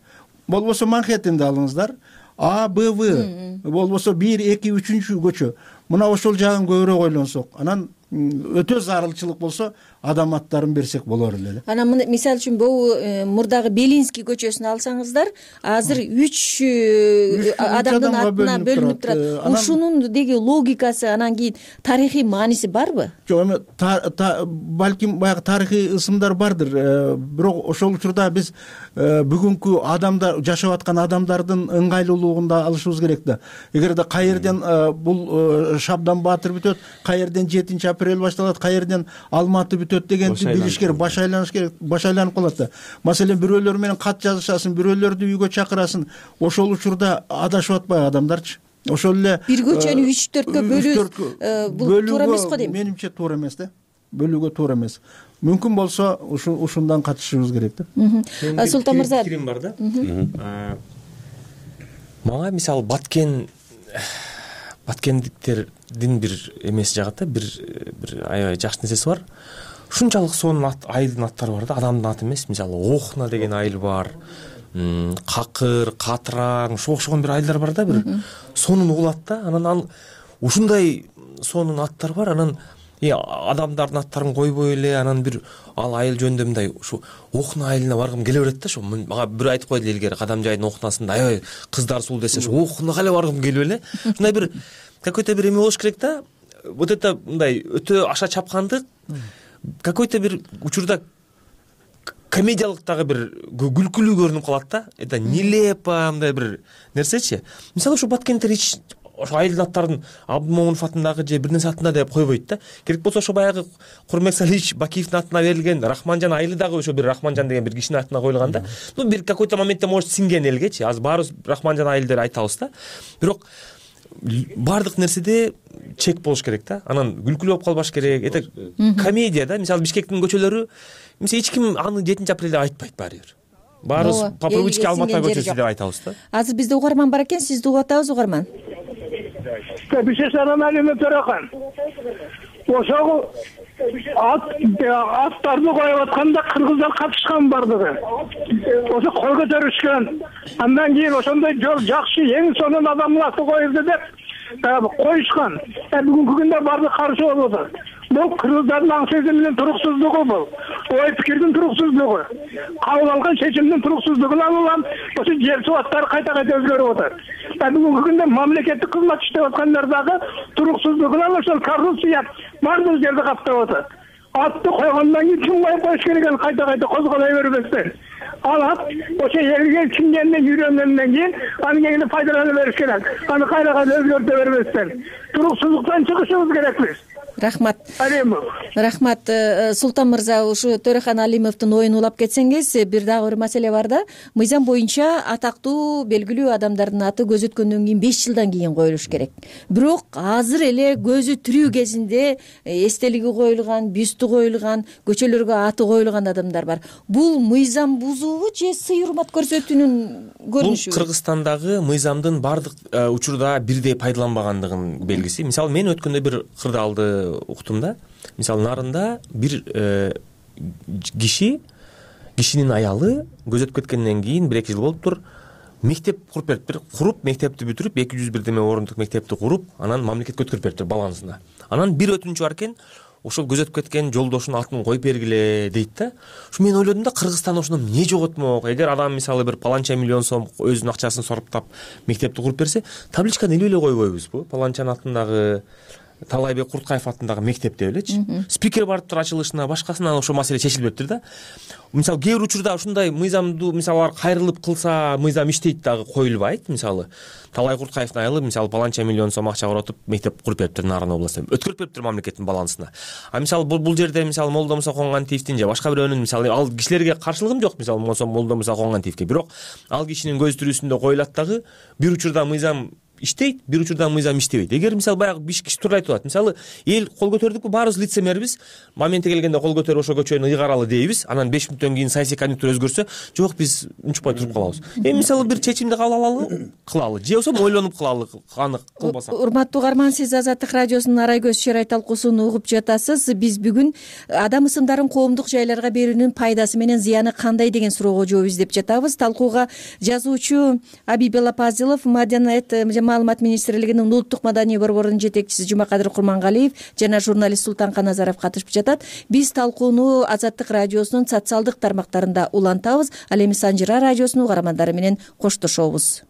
Болбосо Манхэттенди алыңыздар. А, Б, В. Болбосо 1, 2, 3 көчө. Мына ошол жагын көбүрөөк ойлонсок, анан өтө зарылчылык болсо адам аттарын берсек болор эле. Анан мисалы үчүн бул мурдагы Белинский көчөсүн алсаңыздар, азыр 3 адамдын атына бөлүнүп турат. Ушунун деги логикасы, анан кийин тарыхый мааниси барбы? Жок, эми балким баягы тарыхый ысымдар бардыр. Бирок ошол учурда биз бүгүнкү адамдар, жашап аткан адамдардын ыңгайлуулугунда алышыбыз керек да. Эгерде каерден бул Шабдан Баатыр бүтөт, каерден 7-апрель башталат, каерден Алматы бүтөт дегенди билиш керек, баш айланыш керек, баш айланып калат да. Маселен бирөөлөр менен кат жазышасың, бирөөлөрдү үйгө чакырасың. Ошол учурда адашып атпайбы адамдарчы? Ошол эле бир көчөнү 3-4кө бөлүү туура эмес го дейм. Менимче туура эмес да. Бөлүүгө туура эмес. Мүмкүн болсо ушундан катышыбыз керек да. Султан мырза, пикирим бар да. Мага мисалы баткендиктердин бир эмеси жагат да, бир аябай жакшы нерсеси бар. Ушунчалык сонун айылдын аттары бар да, адамдын аты эмес. Мисалы Охна деген айыл бар, Какыр, Катыраң, окшогон бир айылдар бар да, бир сонун угулат да. Анан ушундай сонун аттар бар, анан адамдардын аттарын койбой эле, анан бир ал айыл жөнүндө мындай ушу Охна айылына баргым келе берет да. Ошо мага бир айтып койду илгери, Кадамжайдын Охнасында аябай кыздар сул десе, ошо Охнага эле баргым келип эле. Ушундай бир какой-то бир эме болуш керек да. Вот это мындай өтө аша чапкандык, какой-то бир учурда комедиялык дагы бир күлкүлүү көрүнүп калат да. Это нелепо мындай бир нерсечи. Мисалы ушу баткенттер ошо айылдын аттарын Абдымомунов атындагы же бир нерсе атында деп койбойт да. Керек болсо ошо баягы Курмек Салиевич Бакиевдин атына берилген Рахманжан айылы дагы ошо бир Рахманжан деген бир кишинин атына коюлган да. Ну бир какой-то моментте может сиңген элгечи. Азыр баарыбыз Рахманжан айыл деп айтабыз да. Бирок баардык нерседе чек болуш керек да. Анан күлкүлүү болуп калбаш керек. Это комедия да. Мисалы Бишкектин көчөлөрү, мисалы эч ким аны 7-апрелде айтпайт баары бир. Баарыбыз по привычке Алматы көчөсү деп айтабыз да. Азыр бизде угарман бар экен, сизди угуп атабыз, угарман. Бишесанан Алимов Төрөкан. Ошол аттарды коюп атканда кыргыздар катышкан бардыгы. Ошо кол көтөрүшкөн. Андан кийин ошондой жол жакшы, эң сонун адамдын аты коюлду деп коюшкан. Бүгүнкү күндө баардык каршы болуп атат. Бул кыргыздардын аң сезиминин туруксуздугу бул. Ой пикирдин туруксуздугу. Кабыл алган чечимдин туруксуздугунан улам ошо жер субаттары кайта-кайта өзгөрүп атат. Бүгүнкү күндө мамлекеттик кызмат иштеп аткандар дагы туруксуздугунан ошол коррупция бардык жерде каптап атат. Атты койгондон кийин ким коюп коюш керек экени кайта-кайта козголой бербестен. Ал ат ошо элге сиңгенден үйрөнгөндөн кийин аны кийин пайдалана бериш керек. Аны кайра-кайра өзгөртө бербестен. Туруксуздуктан чыгышыбыз керекпиз. Рахмат. Рахмат. Султан мырза, ушу Төрөкан Алимовдун оюн улап кетсеңиз, бир дагы бир маселе бар да. Мыйзам боюнча атактуу белгилүү адамдардын аты көз өткөндөн кийин 5 жылдан кийин коюлуш керек. Бирок азыр эле көзү тирүү кезинде эстелиги коюлган, бюсту коюлган, көчөлөргө аты коюлган адамдар бар. Бул мыйзам бузуубу же сый урмат көрсөтүүнүн көрүнүшүбү? Бул Кыргызстандагы мыйзамдын бардык учурда бирдей пайдаланбагандыгынын белгиси. Мисалы мен өткөндө бир кырдаалды уктум да. Мисалы нарында бир кишинин аялы көзөтүп кеткенден кийин 1-2 жыл болуптур, мектеп куруп бериптир. Куруп мектепти бүтүрүп 201 деме орундук мектепти куруп, анан мамлекетке өткөрүп бериптир балансына. Анан бир өтүнүчү бар экен, ошол көзөтүп кеткен жолдошунун атын коюп бергиле дейт да. Ушу мен ойлодум да, Кыргызстанда ошондо эмне жоготмок? Эгер адам мисалы бир паланча миллион сом өзүнүн акчасын сарптап мектепти куруп берсе, табличканы илип эле койбойбузбу? Паланчанын атындагы, Талайбек Курткаев атындагы мектеп деп элечи. Спикер барыптыр ачылышына, башкасына, аошол маселе чечилбептир да. Мисалы кээ бир учурда ушундай мыйзамдуу мисалы кайрылып кылса, мыйзам иштейт дагы коюлбайт. Мисалы Талай Курткаевдин айылы мисалы паланча миллион сом акча коротуп мектеп куруп бериптир Нарын областында. Өткөрүп бериптир мамлекеттин балансына. А мисалы бул жерде мисалы Молдо Муса Коңгантиевдин же башка бирөөнүн мисалы ал кишилерге каршылыгым жок, мисалы Молдо Муса Коңгантиевге, бирок ал кишинин көз тирүүсүндө коюлат дагы, бир учурда мыйзам иштейт, бир учурда мыйзам иштебейт. Эгер мисалы баягы биш киши туура айтып атат. Мисалы эл кол көтөрдүкпү, баарыбыз лицемербиз. Моменти келгенде кол көтөрүп ошол көчөнү ыйгаралы дейбиз. Анан 5 мүнөттөн кийин саясий конъюнктура өзгөрсө, жок биз унчукпай туруп калабыз. Мисалы бир чечимди кабыл алалы, кылалы. Же болбосо ойлонуп кылалы, аны кылбасак. Урматтуу угарман, сиз Азаттык радиосунун Арай көз чырай талкуусун угуп жатасыз. Биз бүгүн адам ысымдарын коомдук жайларга берүүнүн пайдасы менен зыяны кандай деген суроого жооп издеп жатабыз. Талкууга жазуучу Абибелла Пазилов, Маданият жана маалымат министрлигинин улуттук маданий борборунун жетекчиси Жумакадыр Курмангалиев жана журналист Султанка Назаров катышып жатат. Биз талкууну Азаттык радиосунун социалдык тармактарында улантабыз. Ал эми Санжыра радиосунун угармандары менен коштошобуз.